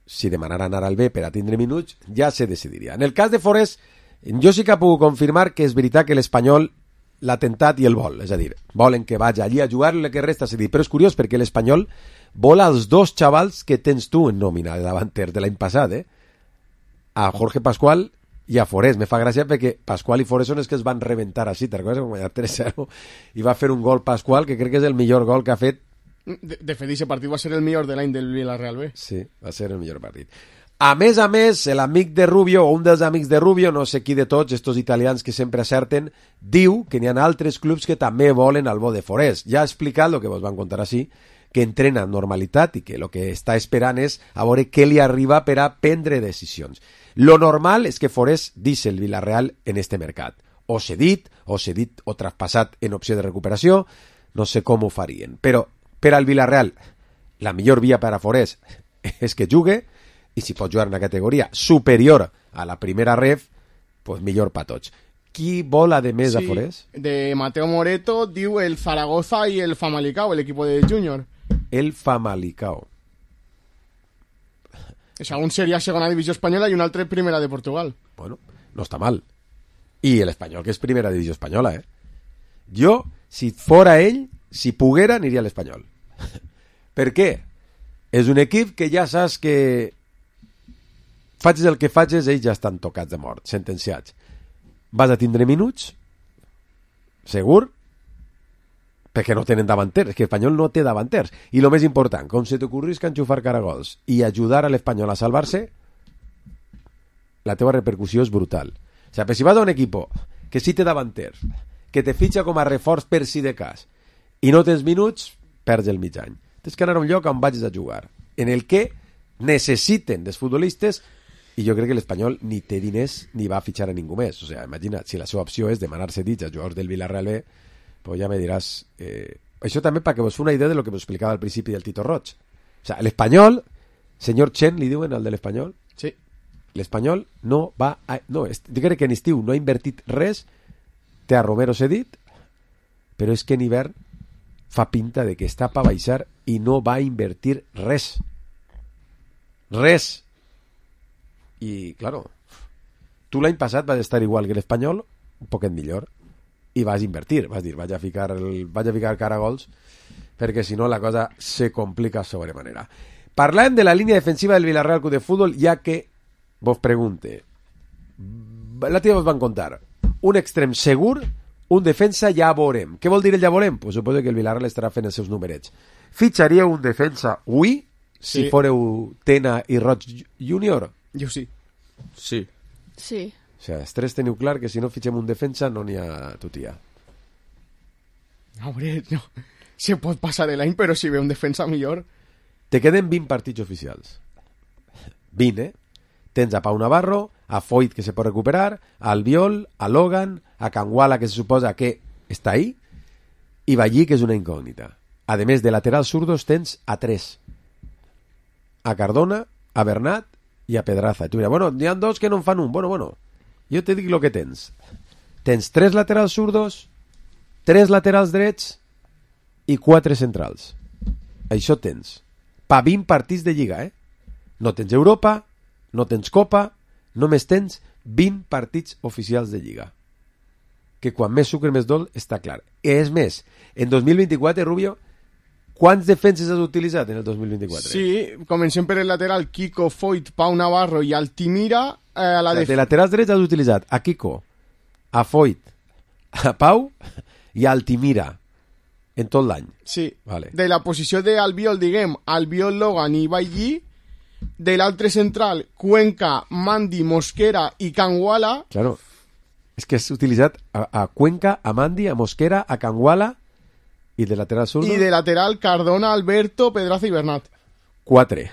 si demanara anar al B per a tindre minuts, ja se decidiria. En el cas de Forés, jo sí que puc confirmar que és veritat que l'Espanyol l'ha tentat i el vol, és a dir, volen que vagi allí a jugar el que resta, és a dir, però és curiós perquè l'Espanyol vol als dos xavals que tens tu en nòmina de davanter de l'any passat, a Jorge Pascual i a Forés. Me fa gràcia perquè Pascual i Forés són els que es van reventar així, te'n recordes? Guanyar 3-0 i va fer un gol Pascual que crec que és el millor gol que ha fet. De fet, aquest partit va ser el millor de l'any del Villarreal B. Sí, va ser el millor partit. A més, l'amic de Rubio, o un dels amics de Rubio, no sé qui de tots, estos italians que sempre acerten, diu que n'hi ha altres clubs que també volen al bo de Forés. Ja ha explicat el que vos van contar així, que entrena amb normalitat i que el que està esperant és a veure què li arriba per a prendre decisions. Lo normal és que Forés deixi el Villarreal en este mercat. O cedit o traspassat en opció de recuperació, no sé com ho farien. Però per al Villarreal, la millor via per a Forés és que jugue, i si pot jugar en una categoria superior a la primera ref, pues millor per tots. Qui vol, a més, a Forés? De Mateo Moreto, diu el Zaragoza y el Famalicao, el equipo de Junior. El Famalicao. O sea, un seria segona divisió espanyola i un altre primera de Portugal. Bueno, no està mal. I l'Espanyol, que és primera divisió espanyola, Jo, si fora ell, si poguera, aniria a l'Espanyol. Per què? És un equip que ja saps que facis el que facis, ells ja estan tocats de mort, sentenciats. Vas a tindre minuts? Segur? Perquè no tenen davanters, que l'Espanyol no té davanters. I el més important, com se t'ocorrisca enxufar caragols i ajudar a l'Espanyol a salvar-se, la teva repercussió és brutal. O sigui, si vas a un equip que sí té davanters, que te fitxa com a reforç per si de cas, i no tens minuts, perds el mig any. Tens que anar a un lloc on vagis a jugar, en el que necessiten dels futbolistes, i jo crec que l'Espanyol ni té diners ni va a fitxar a ningú més. O sigui, imagina't, si la seva opció és demanar-se dits a jugadors del Villarreal B, pues ja me diràs... Això també perquè vos fa una idea de lo que vos explicava al principi del Tito Roig. O sigui, l'Espanyol, senyor Chen, li diuen al de l'Espanyol? Sí. L'Espanyol no va... No, jo crec que en estiu no ha invertit res, té a Romero cedit, però és que en hivern fa pinta de que està per baixar i no va invertir res. Res. I, claro, tu l'any passat vas estar igual que l'Espanyol, un poquet millor, i vas invertir, vas dir, vaig a ficar caragols, perquè si no la cosa se complica sobremanera. Parlem de la línia defensiva del Villarreal Club de Fútbol, ja que vos pregunte, la tia vos van contar, un extrem segur, un defensa ja veurem. Què vol dir el ja veurem? Pues suposo que el Villarreal estarà fent els seus numerets. Fitxaríeu un defensa avui, si fóreu Tena i Roig Júnior? Jo sí. Sí. Sí. O sigui, els tres teniu clar que si no fitxem un defensa no n'hi ha tutia. Hombre, no. Se pot passar l'any, però si ve un defensa millor... Te queden 20 partits oficials. 20, Tens a Pau Navarro, a Foyt, que se pot recuperar, a Albiol, a Logan, a Canguala, que se suposa que està ahí, i Ballí, que és una incògnita. A més, de laterals zurdos tens a 3. A Cardona, a Bernat i a Pedraza. Tu diràs, bueno, n'hi ha 2 que no en fan un. Bueno, jo te dic el que tens. Tens 3 laterals zurdos, 3 laterals drets i 4 centrals. Això tens. Pa 20 partits de Lliga, No tens Europa, no tens Copa, només tens 20 partits oficials de Lliga. Que quan més sucre més dol, està clar. És més, en 2024, Rubio, quants defenses has utilitzat en el 2024? Sí, comencem per el lateral Kiko, Foyt, Pau Navarro i Altimira. De laterals drets has utilitzat a Kiko, a Foyt, a Pau i a Altimira en tot l'any. Sí, vale. De la posició d'Albiol, diguem, Albiol, Logan i Ballí. De l'altre central, Cuenca, Mandi, Mosquera i Canguala. Claro, és que has utilitzat a Cuenca, a Mandi, a Mosquera, a Canguala i de lateral zurdo. I de lateral, Cardona, Alberto, Pedraza i Bernat. 4.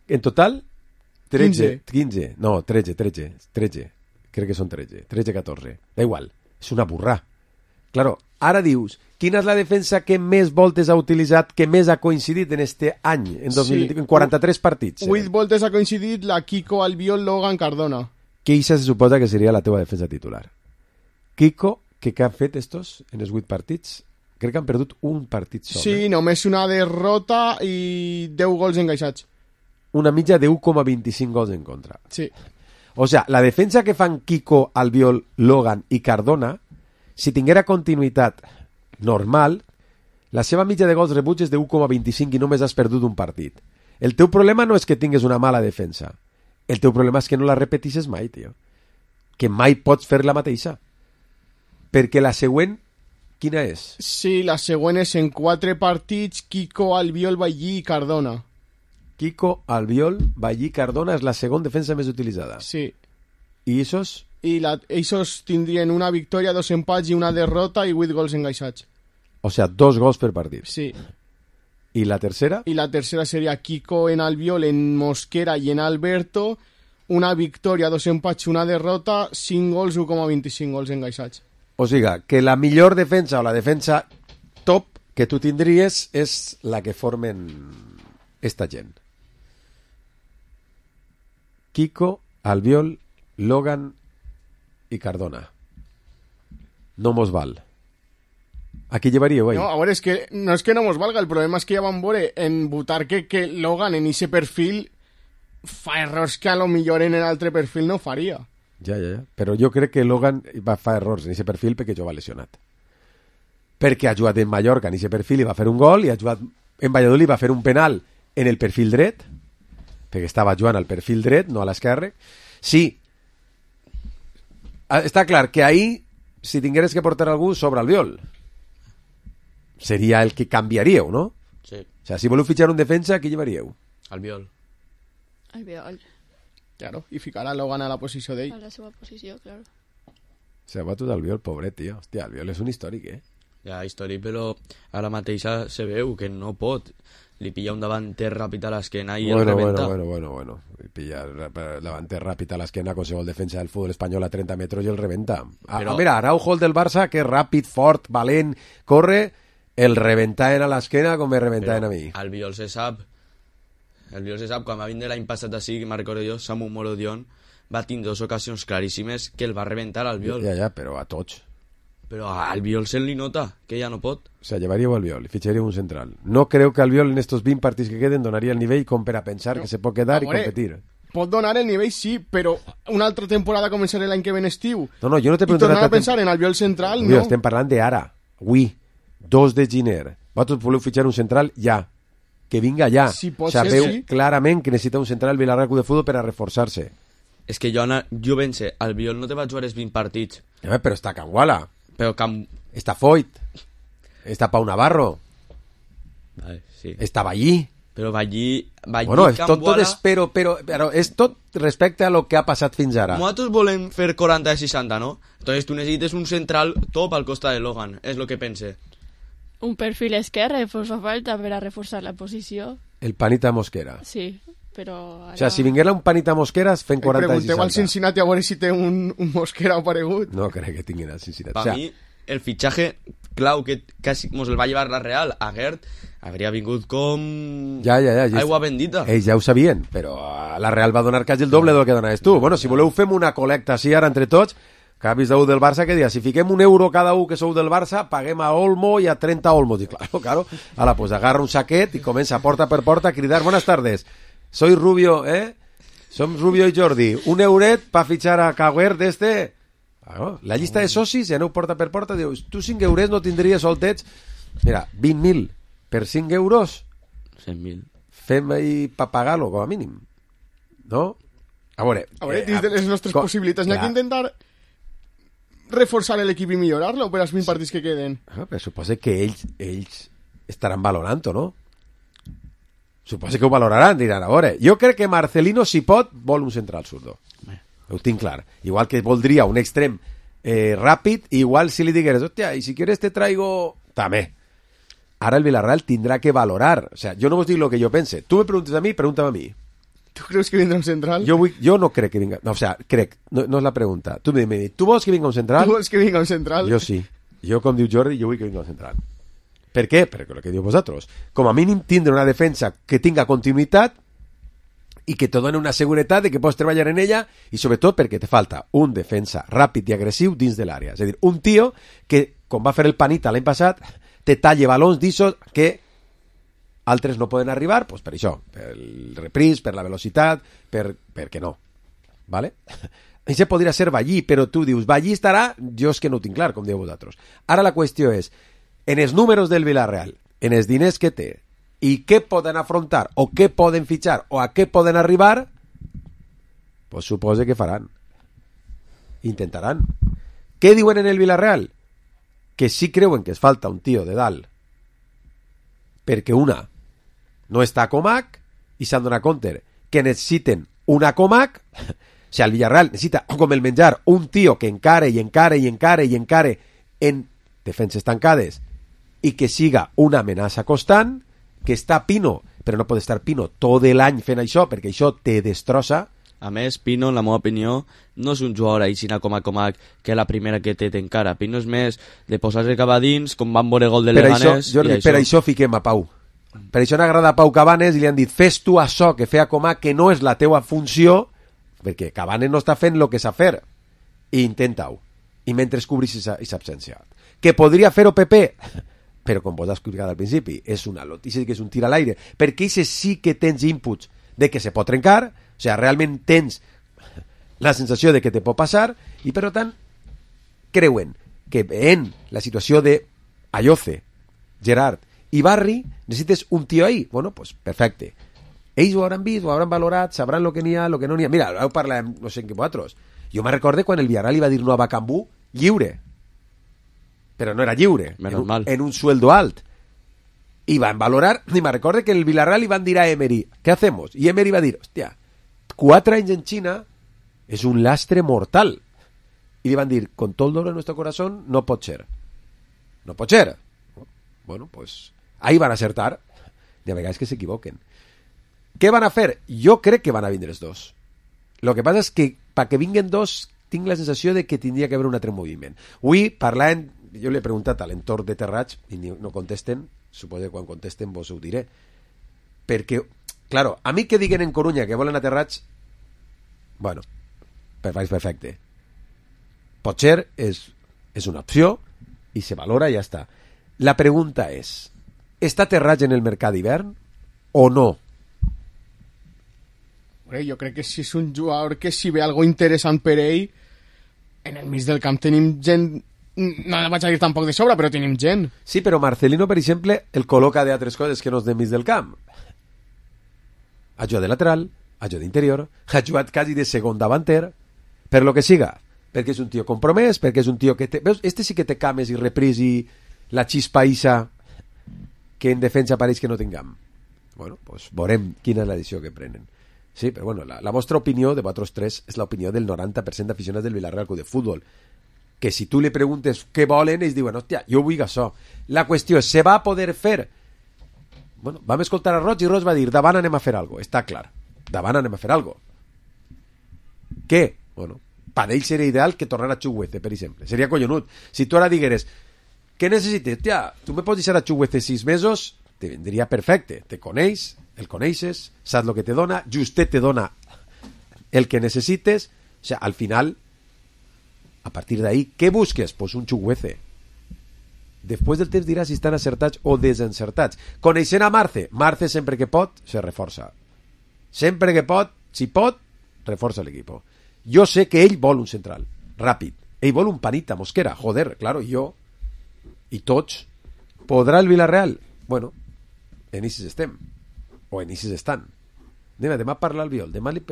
En total, 15. No, 13. Crec que són 13, 14. Da igual, és una burrà. Claro, ara dius, quina és la defensa que més voltes ha utilitzat, que més ha coincidit en este any, en 2020, en 43 partits? 8 voltes ha coincidit la Kiko, Albiol, Logan, Cardona. Que això se suposa que seria la teva defensa titular. Kiko, què han fet estos en els 8 partits? Crec que han perdut un partit sol. Sí, només una derrota i 10 gols encaixats. Una mitja de 1,25 gols en contra. Sí. O sea, la defensa que fan Kiko, Albiol, Logan i Cardona, si tinguera continuïtat normal, la seva mitja de gols rebuts és de 1,25 i només has perdut un partit. El teu problema no és que tingues una mala defensa. El teu problema és que no la repetisses mai, tio. Que mai pots fer la mateixa. Perquè la següent, quina és? Sí, la següent és en 4 partits, Kiko, Albiol, Ballí i Cardona. Kiko, Albiol, Ballí, Cardona és la segona defensa més utilitzada. Sí. I esos? I ells tindrien una victòria, 2 empats i una derrota i 8 gols encaixats. O sea, 2 gols per partit. Sí. I la tercera? I la tercera seria Kiko en Albiol, en Mosquera i en Alberto, una victòria, 2 empats i una derrota, 5 gols, 1,25 gols encaixats. O sigui, que la millor defensa o la defensa top que tu tindries és la que formen esta gent. Kiko, Albiol, Logan i Cardona. No mos val. Aquí llevaríeu, No, a veure, és que no és que no mos valga, el problema és que ja vam veure en Butarque que Logan en ese perfil fa errors que a lo millor en l'altre perfil no faria. Ja. Però jo crec que Logan va fer errors en aquest perfil perquè jo va lesionat. Perquè ha jugat en Mallorca en aquest perfil i va fer un gol, i ha jugat en Valladolid i va fer un penal en el perfil dret, perquè estava jugant al perfil dret, no a l'esquerre. Sí, està clar que ahir, si tingueres que portar algú sobre Albiol, seria el que canviaríeu, no? Sí. O sea, si voleu fitxar un defensa, qui llevaríeu? Albiol. Claro, i ficar a Logan a la posició d'ell. A la seva posició, claro. Se ha batut Albiol, pobret, tio. Hòstia, Albiol és un històric, Ja, històric, però ara mateixa se veu que no pot. Li pilla un davanter ràpid a l'esquena i el rebenta. Bueno. Pilla el davanter ràpid a l'esquena, qualsevol defensa del futbol espanyol a 30 metres i el rebenta. Però... Mira, Araujo, el del Barça, que és ràpid, fort, valent, corre, el rebentaven a l'esquena com me rebentaven a mi. Albiol se sap, quan va vindre l'any passat així, que me'n recordo jo, Samu Morodion va tindre 2 ocasions claríssimes que el va rebentar Albiol. Ja, però a tots. Però a Albiol se li nota, que ja no pot. O sea, llevaríeu Albiol i fitxaríeu un central. No creo que Albiol en estos 20 partits que queden donaria el nivell com per a pensar que se pot quedar i competir. Pot donar el nivell, sí, però una altra temporada començarà l'any que ve en estiu. No, jo no t'he preguntat... I tornar a pensar en Albiol central, no. Estem parlant d'ara. Avui, 2 de gener. Vosaltres voleu fitxar un central ja. Que vinga ja. Sí, sabeu sí. clarament que necessita un central Villarreal Club de Futbol per a reforçar-se. És que jo pense, Albiol no te va jugar els 20 partits. Però està Canguala. Però està Foyt. Està Pau Navarro. Vale, sí. Està Ballí. Però Ballí bueno, és tot però és tot respecte a lo que ha passat fins ara. Nosaltres volem fer 40 de 60, no? Entonces tu necessites un central top al costat de Logan, és lo que pense. Un perfil esquerre fa falta per a reforçar la posició. El Panita Mosquera. Sí, però... Ara... O sea, si vinguera un Panita Mosqueras, fem 40 de 60. Pregunteu al Cincinnati a veure si té un Mosquera aparegut. No crec que tinguin al Cincinnati. Per mi, el fitxatge clau que quasi mos el va llevar la Real a Gert hauria vingut com... Ja. Aigua bendita. Ells ja ho sabien, però la Real va donar quasi el doble del que donaves tu. Bueno, si voleu fem una col·lecta així ara entre tots, capis d'u del Barça que dia, si fiquem €1 cada un que sou del Barça, paguem a Olmo i a 30 Olmos. I claro. Ala, pues agarra un saquet i comença porta per porta a cridar buenas tardes. Soy Rubio, Som Rubio i Jordi. €1 pa fichar a Cagüer d'este... Claro, la llista de socis, aneu porta per porta, dius, tu €5 no tindries soltets? Mira, 20.000 per €5? 100.000. Fem ahí pa pagar-lo, com a mínim. No? A veure, dins de les nostres possibilitats n'hi ha que intentar reforçar l'equip i millorar-lo per als 20 partits que queden. Però suposa que ells estaran valorant-ho, no? Suposa que ho valoraran, diran, a veure, jo crec que Marcelino, si pot, vol un central zurdo. Ho tinc clar. Igual que voldria un extrem ràpid, igual si li digueres, hòstia, i si quieres te traigo... També. Ara el Villarreal tindrà que valorar. O sea, jo no vos dic el que jo pense. Tu me preguntes a mi, pregúntame a mi. ¿Tú crees que vendrá un central? Jo no crec que vinga... No, o sea, crec, no és la pregunta. Tu m'he dit, tu vols que vinga un central? Tu vols que vinga un central? Jo sí. Jo, com diu Jordi, jo vull que vinga un central. Per què? Perquè el que diu vosaltres. Com a mínim tindre una defensa que tinga continuïtat i que te doni una seguretat de que pots treballar en ella i sobretot perquè te falta un defensa ràpid i agressiu dins de l'àrea. És a dir, un tio que, com va fer el Panita l'any passat, te talle balons d'issos que altres no poden arribar, doncs per això, per el repris, per la velocitat, perquè no. ¿Vale? Això podria ser Vallí, però tu dius, Vallí estarà, jo és que no ho tinc clar, com dieu vosaltres. Ara la qüestió és, en els números del Villarreal, en els diners que té, i què poden afrontar, o què poden fitxar, o a què poden arribar, pues suposa que faran. Intentaran. Què diuen en el Villarreal? Que sí creuen que es falta un tio de dalt, perquè una no està a Comac, i s'han donat compte que necessiten una Comac. O sigui, el Villarreal necessita, com el menjar, un tio que encare en defenses tancades i que siga una amenaça constant, que està Pino, però no pot estar Pino tot l'any fent això, perquè això te destrossa. A més, Pino, en la meva opinió, no és un jugador aixina com a Comac, que la primera que té t'encara. Pino és més de posar-se cap a dins, com van veure gol de Leganés. Jordi, per això fiquem a Pau. Per això n'agrada a Pau Cabanes i li han dit, fes tu això que feia Comac, que no és la teua funció, perquè Cabanes no està fent el que sap fer. I intenta-ho. I mentre cobrís aquesta absència. Que podria fer-ho Pepe, però com vos has explicat al principi, és una notícia que és un tir a l'aire, perquè això sí que tens inputs de que se pot trencar, o sigui, realment tens la sensació de que te pot passar, i per tant creuen que en la situació de Ayoce, Gerard i Barri necessites un tio ahí. Bueno, pues perfecte. Ells ho hauran vist, ho hauran valorat, sabran lo que n'hi ha, lo que no n'hi ha. Mira, heu parlat, no sé en què vosaltres. Jo me recorde quan el Villarreal li va dir no a Bacambú lliure, però no era lliure, en un sueldo alt. Y van a valorar, y me recuerdo que en el Villarreal iban a dir a Emery, ¿qué hacemos? Y Emery va a dir, hostia, 4 anys en China es un lastre mortal. Y le van a dir, con todo el dolor de nuestro corazón, no pot ser. No pot ser. Bueno, pues ahí van a acertar. De vegades que s'equivoquen. Què van a fer? Jo crec que van a vindre els dos. Lo que passa és que, para que vinguen dos, tinc la sensació de que tindria que haver un altre moviment. Avui, parlant, jo li he preguntat a l'entorn de Terrats, i no contesten, suposo que quan contesten vos ho diré, perquè, claro, a mi que diguen en Corunya que volen a Terrats, bueno, perfecte, potser és una opció i se valora i ja està. La pregunta és, està Terrats en el mercat d'hivern o no? Jo crec que si és un jugador que si ve algo interessant per ell, en el mig del camp tenim gent. No vaig a dir tampoc de sobra, però tenim gent. Sí, però Marcelino, per exemple, el col·loca d'altres coses que no és de mig del camp. Ha jugat de lateral, ha jugat d'interior, ha jugat quasi de segon davanter, per lo que siga. Perquè és un tio compromès, perquè és un tio que té... Veus, este sí que té cames i repris i la xispa isa que en defensa pareix que no tinguem. Bueno, pues veurem quina és la decisió que prenen. Sí, però bueno, la vostra opinió de vosaltres tres és l'opinió del 90% d'aficionats del Villarreal Club de Futbol. Que si tu li preguntes què volen, ells diuen, hòstia, jo vull això. La qüestió és, se va a poder fer? Bueno, vam escoltar a Roig i Roig va dir, davant anem a fer alguna cosa, està clar. Davant anem a fer alguna cosa. Què? Bueno, per ell seria ideal que tornara Chukwueze, per exemple. Seria collonut. Si tu ara digueres, què necessites? Tia, tu me pots deixar a Chukwueze 6 mesos? Te vendria perfecte. Te coneix, el coneixes, saps el que te dona, justet te dona el que necessites. O sigui, al final... A partir d'ahí, què busques? Pues un Chukwueze. Després del temps diràs si estan acertats o desencertats. Coneixent a Marce sempre que pot se reforça. Sempre que pot, si pot, reforça l'equip. Jo sé que ell vol un central, ràpid. Ell vol un Panita, Mosquera. Joder, claro, jo i tots. Podrà el Villarreal? Bueno, en Isis estem. O en Isis estan. Demà parla al Viol. Demà li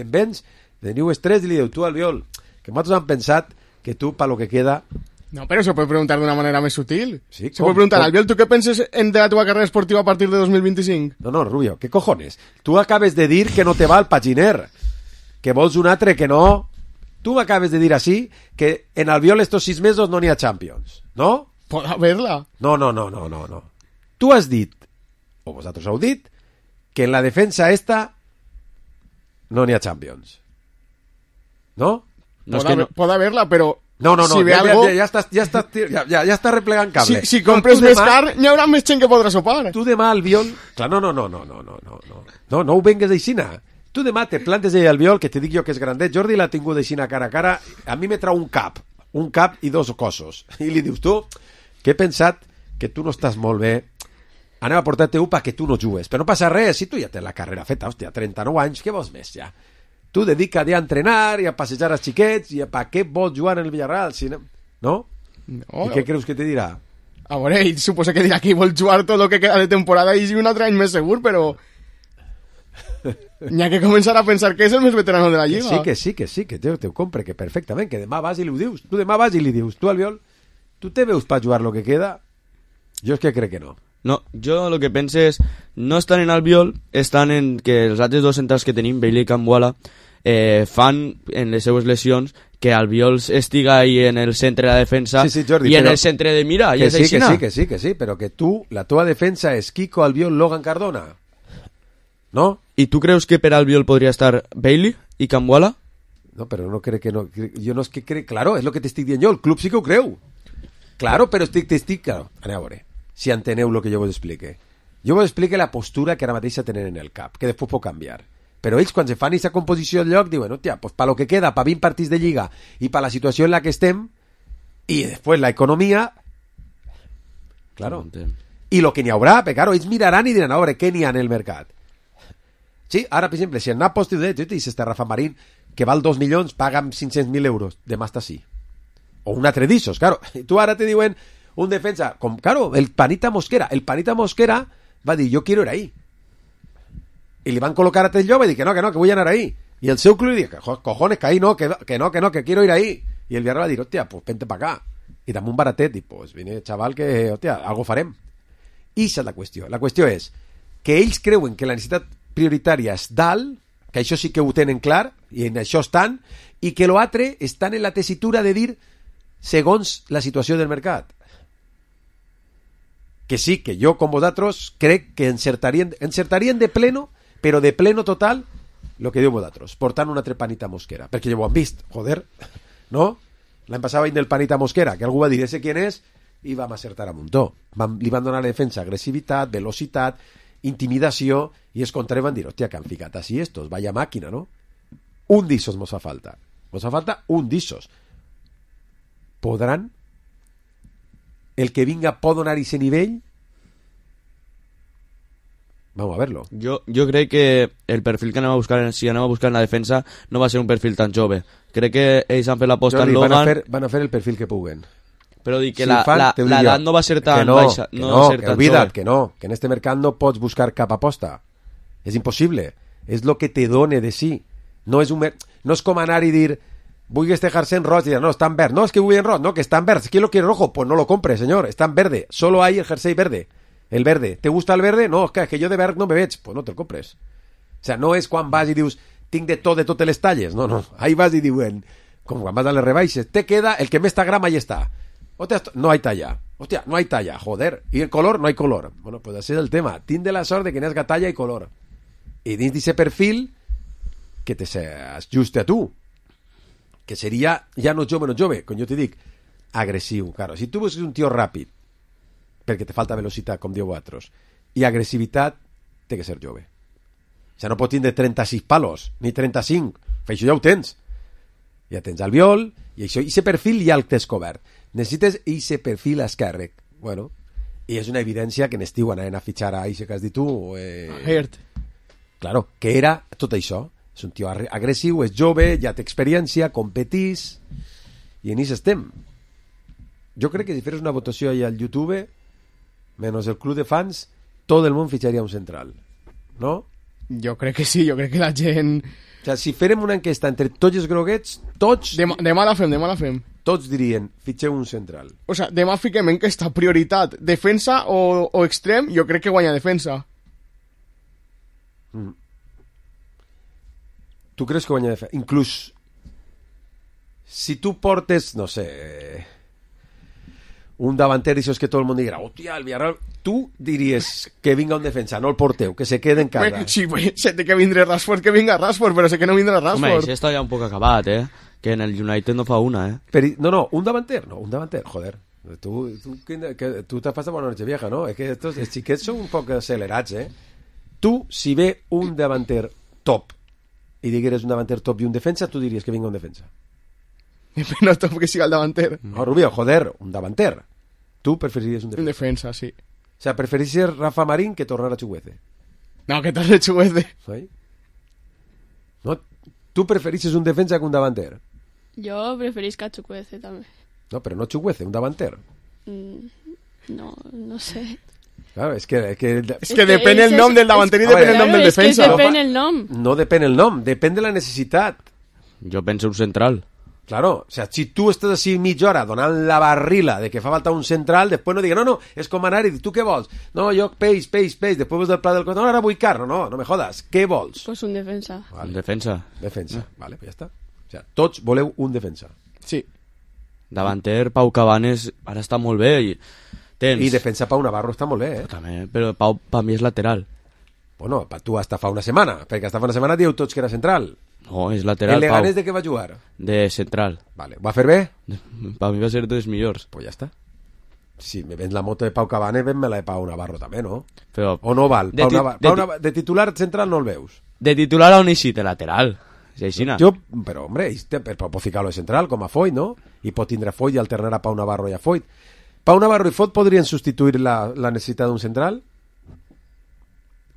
vens, teniu estrès i li diu, tu al Viol, que nosaltres hem pensat que tu, para lo que queda... No, pero se puede preguntar de una manera más sutil. Sí, se puede preguntar, Albiol, ¿tú qué piensas de la tu carrera esportiva a partir de 2025? No, Rubio, ¿qué cojones? Tú acabes de dir que no te va al paginer, que vols un altre que no... Tú acabes de dir así que en Albiol estos 6 mesos no n'hi ha Champions, ¿no? Pot haver-la. No. Tu has dit, o vosaltres heu dit, que en la defensa esta no n'hi ha Champions. No? Pot haver-la, però... No, si ve algo... ja està replegant cable. Si compres més car, n'hi haurà més gent que podrà sopar. Tu demà al Biol... Clar, no ho vengues aixina. Tu demà te plantes allà al Biol, que te dic jo que és grandet. Jordi l'ha tingut aixina cara a cara. A mi me trau un cap i 2 cossos. I li dius, tu, que he pensat que tu no estàs molt bé. Anem a portar-te UPA que tu no jugues. Però no passa res, si tu ja tens la carrera feta, hòstia, 39 anys, què vols més ja? Tu dedica't a entrenar i a passejar els xiquets i a per què vols jugar en el Villarreal, si no? No? I què creus que te dirà? A veure, ell suposa que dirà que vol jugar tot el que queda de temporada i un altre any més segur, però... N'hi ha que començar a pensar que és el més veterano de la Lliga. Que sí, que te ho compre, que perfectament, que demà vas i li ho dius. Tu demà vas i li dius, tu, Albiol, tu te veus per jugar lo que queda? Jo és que crec que no. No, jo el que penso és, no estan en Albiol, estan en que els altres 2 centrals que tenim, Bailey i Cambuala, fan en les seues lesions que Albiol estiga ahí en el centre de la defensa Jordi, i en el centre de mira, i és aixina. Que sí, però que tu, la teva defensa és Kiko, Albiol, Logan, Cardona. No? I tu creus que per Albiol podria estar Bailey i Cambuala? No, però no crec que no. Jo no és que crec... Claro, és el que t'estic dient jo, el club sí que ho creu. Claro, però claro, anem a veure, si enteneu el que jo vos explique. Jo vos explique la postura que ara mateix tenen en el cap, que després pot canviar. Però ells, quan se fan aquesta composició del lloc, diuen, hòstia, pues para lo que queda, para 20 partits de Lliga i para la situació en la que estem, i després la economia, claro. I lo que n'hi haurà, perquè claro, ells miraran i diran, a veure, què n'hi ha en el mercat? Sí, ara, per exemple, si el Nàpols te dius, este Rafa Marín, que val 2 milions, paga 500.000 euros, demà està així. O un altre d'ixos, claro. I tu ara te diuen un defensa, com, claro, el Panita Mosquera va dir, jo quiero ir ahí. I li van col·locar a Telló i va dir que no, que vull anar ahí. I el seu club li diu, cojones, que ahí no, que quiero ir ahí. I el Villarreal va dir, hòstia, pues vente pa acá. I dame un baratet, i pues vine, chaval, que, hòstia, algo farem. I això és la qüestió. La qüestió és que ells creuen que la necessitat prioritària és dalt, que això sí que ho tenen clar, i en això estan, i que l'altre estan en la tessitura de dir segons la situació del mercat. Que sí, que jo, com vosaltres, crec que encertarien de pleno, però de pleno total, el que diu vosaltres, portant una altra Panita Mosquera, perquè ja ho han vist, joder, no? L'any passat veient el Panita Mosquera, que algú va dir, ese quién és, i vam acertar a muntó. Li van donar a la defensa agressivitat, velocitat, intimidació, i els contraris van dir, hòstia, que han ficat així estos, vaya màquina, no? Un d'issos mos fa falta. Mos fa falta un d'issos. Podran? El que vinga pot donar ese nivell? Vamos a verlo. Jo crec que el perfil que anem a buscar, si anem a buscar en la defensa, no va ser un perfil tan jove. Crec que ells han fet l'aposta en Logan. Van a fer el perfil que puguen. Però dic que l'edat no va ser tan baixa. Que en este mercat no pots buscar cap aposta. És impossible. És lo que te done de sí. No és com anar i dir, vull este jersey en roig, y dir, no, está en verde. No, es que vull en roig, no, que está en verde. ¿Quién lo quiere rojo? Pues no lo compre, señor. Está en verde. Solo hay el jersey verde. El verde. ¿Te gusta el verde? No, es que jo de verd no me veig. Pues no te'l compres. O sea, no és quan vas i dius tinc de totes les talles. No. Ahí vas i diuen, com quan vas a les rebaixes, te queda el que més t'agrama i està. Hòstia, no hay talla. Hòstia, no hay talla, joder. I el color, no hay color. Bueno, pues ese és el tema. Tinc de la sort de que n'has talla i color. I dins d'aquest perfil que te s'ajuste a tu. Que seria, ja no jove, com jo te dic, agressiu. Claro, si tu busques un tio ràpid, perquè te falta velocitat, com dieu vosaltres, i agressivitat, té que ser jove. O sigui, no pot tindre 36 palos, ni 35, això ja ho tens. Ja tens Albiol, i això, i aquest perfil ja el tens cobert. Necessites aquest perfil esquerre. Bueno, i és una evidència que en estiu anaven a fitxar a això que has dit tu. Hert. Claro, que era tot això. És un tio agressiu, és jove, ja té experiència, competís, i en això estem. Jo crec que si fes una votació allà al YouTube, menos el club de fans, tot el món fitxaria un central, no? Jo crec que sí, jo crec que la gent... O sigui, si farem una enquesta entre tots els groguets, tots... Demà la fem. Tots dirien, fitxeu un central. O sigui, demà fiquem enquesta, prioritat, defensa o extrem, jo crec que guanya defensa. Tu creus que guanya defensa? Inclús, si tu portes, no sé... un davanter, això és que tot el món dirà, hòstia, el Villarreal... Tu diries que vinga un defensa, no el porteu, que se quede en casa. Sí, se té que vindre Rashford, que vinga Rashford, però sé que no vindrà Rashford. Home, això està ja un poc acabat, que en el United no fa una, No, un davanter, joder. Tu t'has passat bona noche vieja, no? És que els xiquets són un poc accelerats, Tu, si ve un davanter top i digueres un davanter top i un defensa, tu diries que vinga un defensa. No top que siga el davanter. No, Rubio, joder, un davanter. Tu preferiries un defensa. Un defensa, sí. O sea, preferiries Rafa Marín que tornar a Chuguece. No, que torne Chuguece. ¿Sí? No, tu preferisses un defensa que un davanter. Jo preferisc a Chukwueze, també. No, però no Chuguece, un davanter. No sé. Claro, és que depèn el nom del davanter i depèn el nom del defensa. És que depèn el nom. No depèn el nom, depèn de la necessitat. Jo penso un central. Claro, o sea, si tu estàs així mitja hora donant la barrila de que fa falta un central, després no digui, no, és com anar i dir, tu què vols? No, jo peix, després veus del pla del cotó, no, ara vull carn, no me jodas, què vols? Pues un defensa. Vale. Un defensa. Vale, pues ja està. O sea, tots voleu un defensa. Sí. Davanter, Pau Cabanes, ara està molt bé i... I defensa Pau Navarro està molt bé, També, però Pau per mi és lateral. Bueno, tu hasta fa una setmana, perquè hasta fa una setmana dieu tots que era central. No, és lateral, el Leganés de què va jugar? De central. Vale, ¿va fer bé? Per mi va ser dels millors. Pues ja està. Si me vens la moto de Pau Cabanes, ven-me la de Pau Navarro també, no? Però... O no val? De titular central no el veus? De titular a un eixit, de lateral. Si aixina. Però, hombre, pot ficar-lo de central, com a Foyt, no? I pot tindre Foyt i alternar a Pau Navarro i a Foyt. Pau Navarro i Foyt podrien substituir la necessitat d'un central?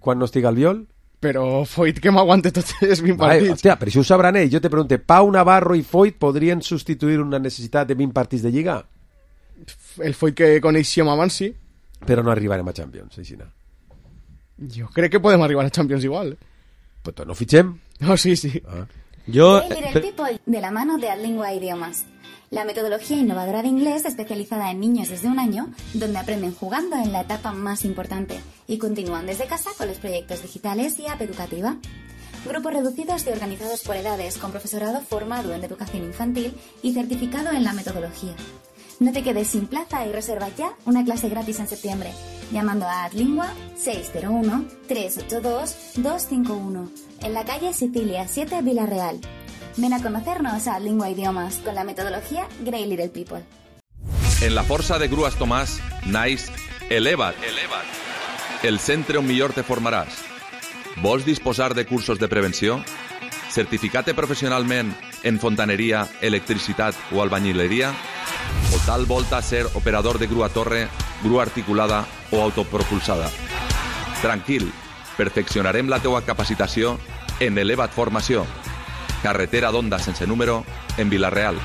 Quan no estiga el Viol? Però Foyt que m'aguante tots els 20 partits. Hòstia, però això ho sabran ells. Jo te pregunto, Pau Navarro i Foyt podrien substituir una necessitat de 20 partits de Lliga? El Foyt que coneixíem abans, sí. Però no arribarem a Champions, aixina. Jo crec que podem arribar a Champions igual. Pues no fitxem? No, sí. Yo... Little People, de la mano de Adlingua Idiomas. La metodología innovadora de inglés especializada en niños desde 1 año, donde aprenden jugando en la etapa más importante y continúan desde casa con los proyectos digitales y app educativa. Grupos reducidos y organizados por edades, con profesorado formado en educación infantil y certificado en la metodología. No te quedes sin plaza y reserva ya una clase gratis en septiembre, llamando a Adlingua 601-382-251, en la calle Sicilia 7, Villarreal. Ven a conocernos a Lingua Idiomas con la metodología Grey Little People. En la força de Grues Tomàs naix Eleva't. El centre on millor te formaràs. Vols disposar de cursos de prevenció? Certificar-te professionalment en fontaneria, electricitat o albañileria? O tal volta ser operador de grua torre, grua articulada o autopropulsada? Tranquil, perfeccionarem la teua capacitació en Eleva't Formació. Carretera d'Onda sense número, en Villarreal.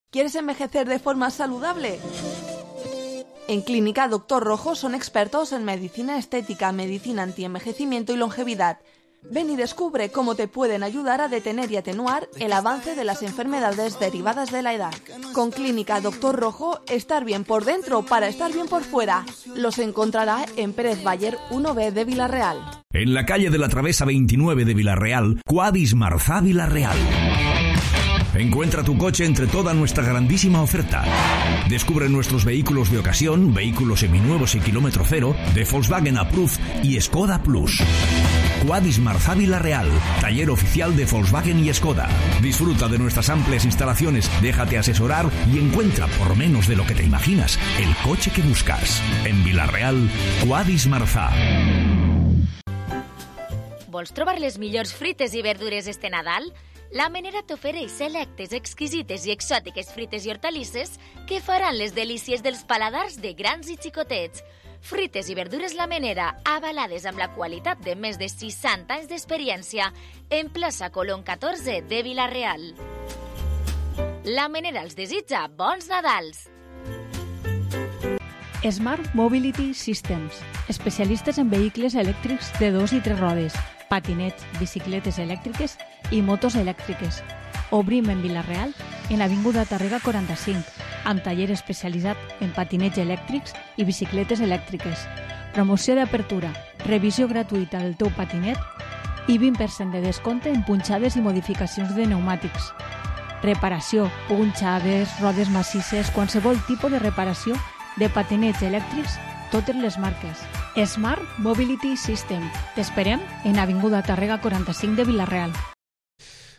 ¿Quieres envejecer de forma saludable? En Clínica Dr. Rojo son expertos en medicina estética, medicina antienvejecimiento y longevidad. Ven y descubre cómo te pueden ayudar a detener y atenuar el avance de las enfermedades derivadas de la edad. Con Clínica Dr. Rojo, estar bien por dentro para estar bien por fuera. Los encontrará en Pérez Bayer 1B de Villarreal. En la calle de la Travesa 29 de Villarreal, Quadis Marzá Villarreal. Encuentra tu coche entre toda nuestra grandísima oferta. Descubre nuestros vehículos de ocasión, vehículos seminuevos y kilómetro cero, de Volkswagen Approved y Skoda Plus. Quadis Marzá Villarreal, taller oficial de Volkswagen y Skoda. Disfruta de nuestras amplias instalaciones, déjate asesorar y encuentra, por menos de lo que te imaginas, el coche que buscas. En Villarreal, Quadis Marzá. Vols trobar les millors frites i verdures este Nadal? La Menera t'ofereix selectes, exquisites i exòtiques frites i hortalisses que faran les delícies dels paladars de grans i xicotets. Frites i verdures La Menera, avalades amb la qualitat de més de 60 anys d'experiència, en plaça Colón 14 de Villarreal. La Menera els desitja bons Nadals! Smart Mobility Systems, especialistes en vehicles elèctrics de 2 i 3 rodes, patinets, bicicletes elèctriques i motos elèctriques. Obrim en Villarreal, en l'Avinguda Tàrrega 45, amb taller especialitzat en patinets elèctrics i bicicletes elèctriques. Promoció d'apertura, revisió gratuïta del teu patinet i 20% de descompte en punxades i modificacions de pneumàtics. reparació, punxades, rodes massisses, qualsevol tipus de reparació de patinets elèctrics, totes les marques. Smart Mobility System. T'esperem en Avinguda Tàrrega 45 de Vila-real.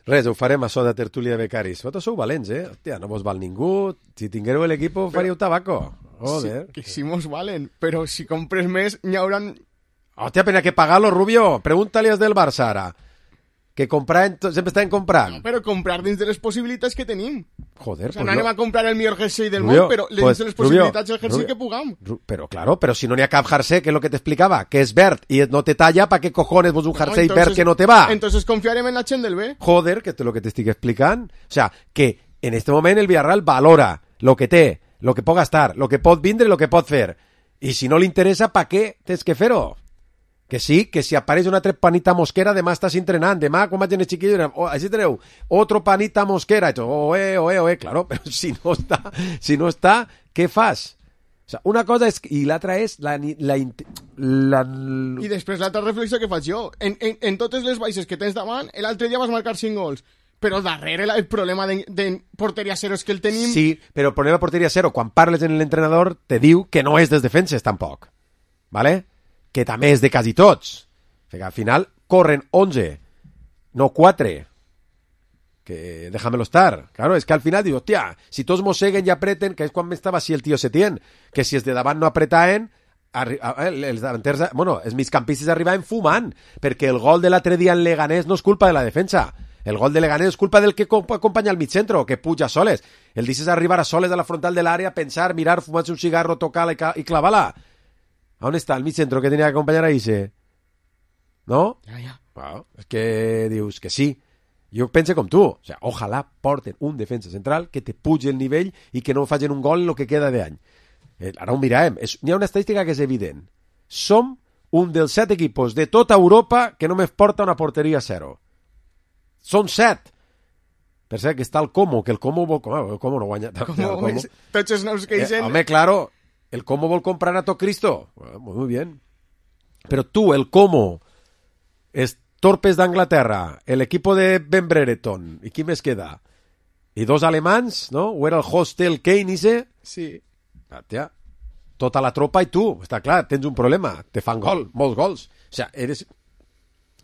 Res, ho farem això de tertúlia de becaris. Vosaltres sou valents, eh? Hòstia, no vos val ningú. Si tinguéreu l'equip, faríeu tabaco. Joder. Sí, que sí mos valen, però si compres més, n'hi hauran... Hòstia, pero hay que pagarlo, Rubio. Pregúntale als del Barça ara. Que comprar, sempre estan comprant. No, però comprar dins de les possibilitats que tenim. Joder, o sea, no anem a comprar el millor jersei del Rubio, món, però pues, dins de les possibilitats Rubio, el jersei que pugam. Pero claro, pero si no n'hi ha cap jersei, que es lo que te explicaba, que es verd y no te talla, ¿para qué cojones vos un jersei verd que no te va? Entonces confiarem en la gent del B. Joder, que es lo que te estic explicant. O sea, que en este moment el Villarreal valora lo que té, lo que pot gastar, lo que pot vindre i lo que pot fer. I si no li interessa, ¿para qué tens que fer-ho? Que sí, que si apareix una altra panita mosquera, demà estàs entrenant, demà quan vagin els chiquillos, així teniu, otro panita mosquera, i tu, claro, però si no està, què fas? O sea, una cosa és, i l'altra és I després l'altra reflexió que faig jo, en totes les baixes que tens davant, l'altre dia vas marcar 5 gols, però darrere el problema de porteria cero és que el tenim... Sí, però el problema de porteria cero, quan parles en l'entrenador, te diu que no és dels defenses, tampoc, ¿vale? Que també és de quasi tots. Que al final corren 11, no 4. Que déjamelo estar. Claro, es que al final digo, hostia, si tots mosseguen i apreten, que és quan m'estava així el tio Setién, que si els de davant no apretaven, els davanters, bueno, els migcampistes arribaven fumant, perquè el gol de l'altre dia en Leganés no és culpa de la defensa. El gol de Leganés és culpa del que acompanya al mitjentro, que puja soles. El dices arribar a soles a la frontal de l'àrea, pensar, mirar, fumar-se un cigarro, tocar-la i clavar-la. ¿A dónde está el mid-centro que tenía que acompañar a Ise? ¿No? Ja. Bueno, es que dius que sí. Jo pense com tu. O sea, ojalà porten un defensa central que te pugi el nivell i que no facin un gol en lo que queda d'any. Ara ho mirarem. N'hi ha una estadística que és evident. Som un dels 7 equipos de tota Europa que només porta una porteria zero. Són 7. Per cert, que està el Como, que el Como no guanya. Tots els nous que dicen... Home, claro... El Como vol comprar a tot Cristo. Bueno, muy bien. Pero tú, el Como, es Torpes d'Anglaterra, el equipo de Ben Brereton, ¿y quién més queda? Y 2 alemans, ¿no? ¿O era el Hostel Kane ese? Sí. Tia, tota la tropa i tu, està clar, tens un problema, te fan gol, molts gols. O sea,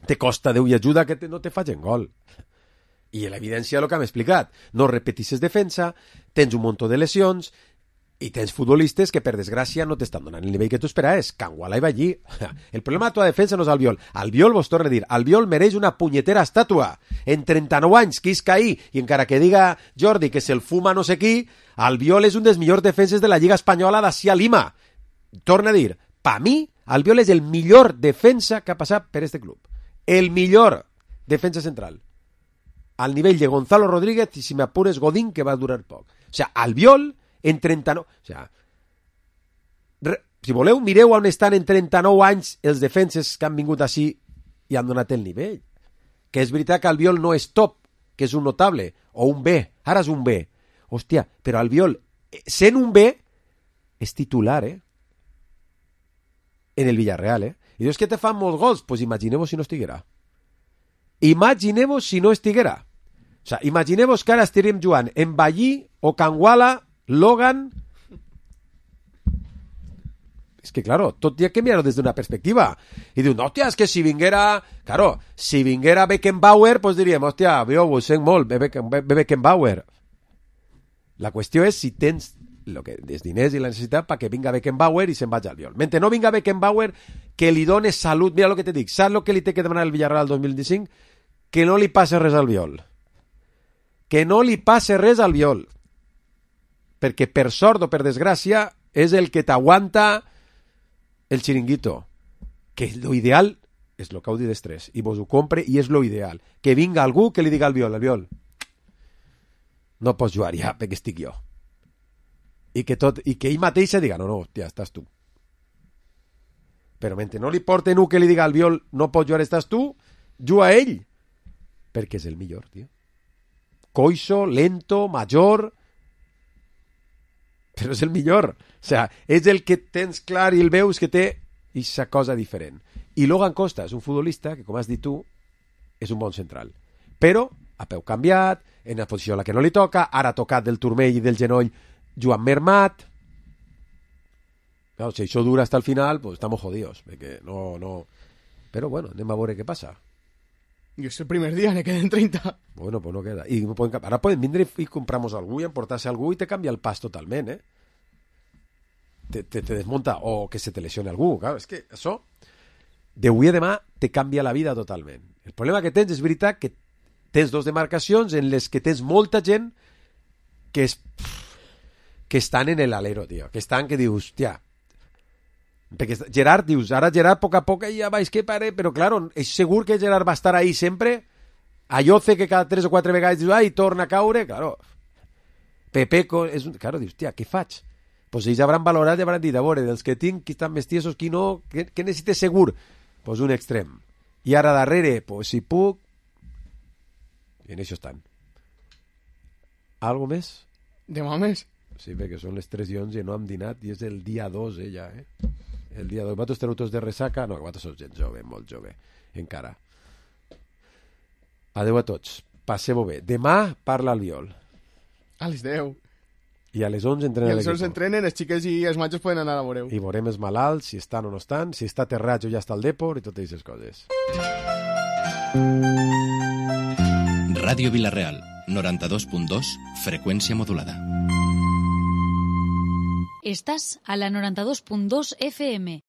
te costa Déu i ajuda que no te facin gol. I l'evidència és el que hem explicat. No repetisses defensa, tens un munt de lesions, i tens futbolistes que, per desgràcia, no t'estan donant el nivell que tu esperaves. Canguala i va allí. El problema de la defensa no és Albiol. Albiol, vos torno a dir, Albiol mereix una punyetera estàtua. En 39 anys, qui és caí, i encara que diga Jordi que se'l fuma no sé qui, Albiol és un dels millors defenses de la Lliga Espanyola d'ací a Lima. Torna a dir, pa mi, Albiol és el millor defensa que ha passat per este club. El millor defensa central. Al nivell de Gonzalo Rodríguez i, si m'apures, Godín, que va durar poc. O sea, Albiol en 39... O sea, si voleu, mireu on estan en 39 anys els defenses que han vingut així i han donat el nivell. Que és veritat que Albiol no és top, que és un notable, o un B. Ara és un B. Hòstia, però Albiol, sent un B, és titular, en el Villarreal, I dius que te fan molts gols. Pues imagineu-vos si no estiguera. Imagineu-vos si no estiguera. O sea, imagineu-vos que ara estaríem jugant en Ballí o Canguala, Logan... Es que, claro, tot hi ha que mirar-ho des d'una perspectiva. I diu, no, hòstia, és que si vinguera... Claro, si vinguera Beckenbauer, pues diríem, hòstia, jo ho sent molt, Beckenbauer. La qüestió és si tens els diners i la necessitat perquè vinga Beckenbauer i se'n vaig al Albiol. Mentre no vinga Beckenbauer, que li dones salut... Mira el que te dic, saps el que li té que demanar el Villarreal el 2025? Que no li passe res al Albiol. Que no li passe res al Albiol. Perquè per sort o per desgràcia és el que t'aguanta el xiringuito, que lo ideal és lo que heu dit d'estrès, i vos ho compre i és lo ideal, que vinga algú que li diga al Albiol, no pots jugar ja perquè estic jo, i que ell mateix se diga, no, hòstia, estàs tu. Però mentre no li porten un que li diga al Albiol, no pots jugar, estàs tu, juga ell, perquè és el millor, tio. Coixo, lento, major, però és el millor. O sea, és el que tens clar i el veus que té aquesta cosa diferent. I Logan Costa és un futbolista que, com has dit tu, és un bon central. Però a peu canviat, en la posició a la que no li toca, ara tocat del turmell i del genoll Joan Mermat. Claro, si això dura hasta el final, pues estamos jodidos, perquè no... Però bueno, anem a veure què passa. I és el primer dia, ne queden 30. Bueno, pues no queda. I ara poden vindre i compramos algú i emportar-se algú i te canvia el pas totalment, eh? Te desmunta, o que se te lesione algú, claro, és que això d'avui a demà te canvia la vida totalment. El problema que tens és veritat que tens dos demarcacions en les que tens molta gent que estan en l'alero, tio, que dius, hòstia, perquè Gerard, dius, ara Gerard a poc a poc ja vaig que pare, però claro, és segur que Gerard va estar ahí sempre, Ayoce que cada 3 o 4 vegades dius, ai, torna a caure, claro, Pepeco, claro, dius, tia, què faig? Pues ells hauran valorat i hauran dit, a veure, dels que tinc, qui estan més tiesos, qui no, què necessites segur? Pues un extrem. I ara darrere, pues si puc... I en això estan. Algo més? Demà més? Sí, perquè són les 3:11 i no hem dinat i és el dia 2, ja, eh? El dia 2. Vosaltres teniu tots de ressaca? No, vosaltres sou gent jove, molt jove, encara. Adeu a tots. Passeu-ho bé. Demà parla el Viol. A les 10. I a les 11 entrenen I a les 11 entrenen, els xiques i els matxos poden anar a veure-ho. I veurem els malalts, si estan o no estan, si està aterrat o ja està al depor i totes aquestes coses. Ràdio Vila-real, 92.2, freqüència modulada. Estàs a la 92.2 FM.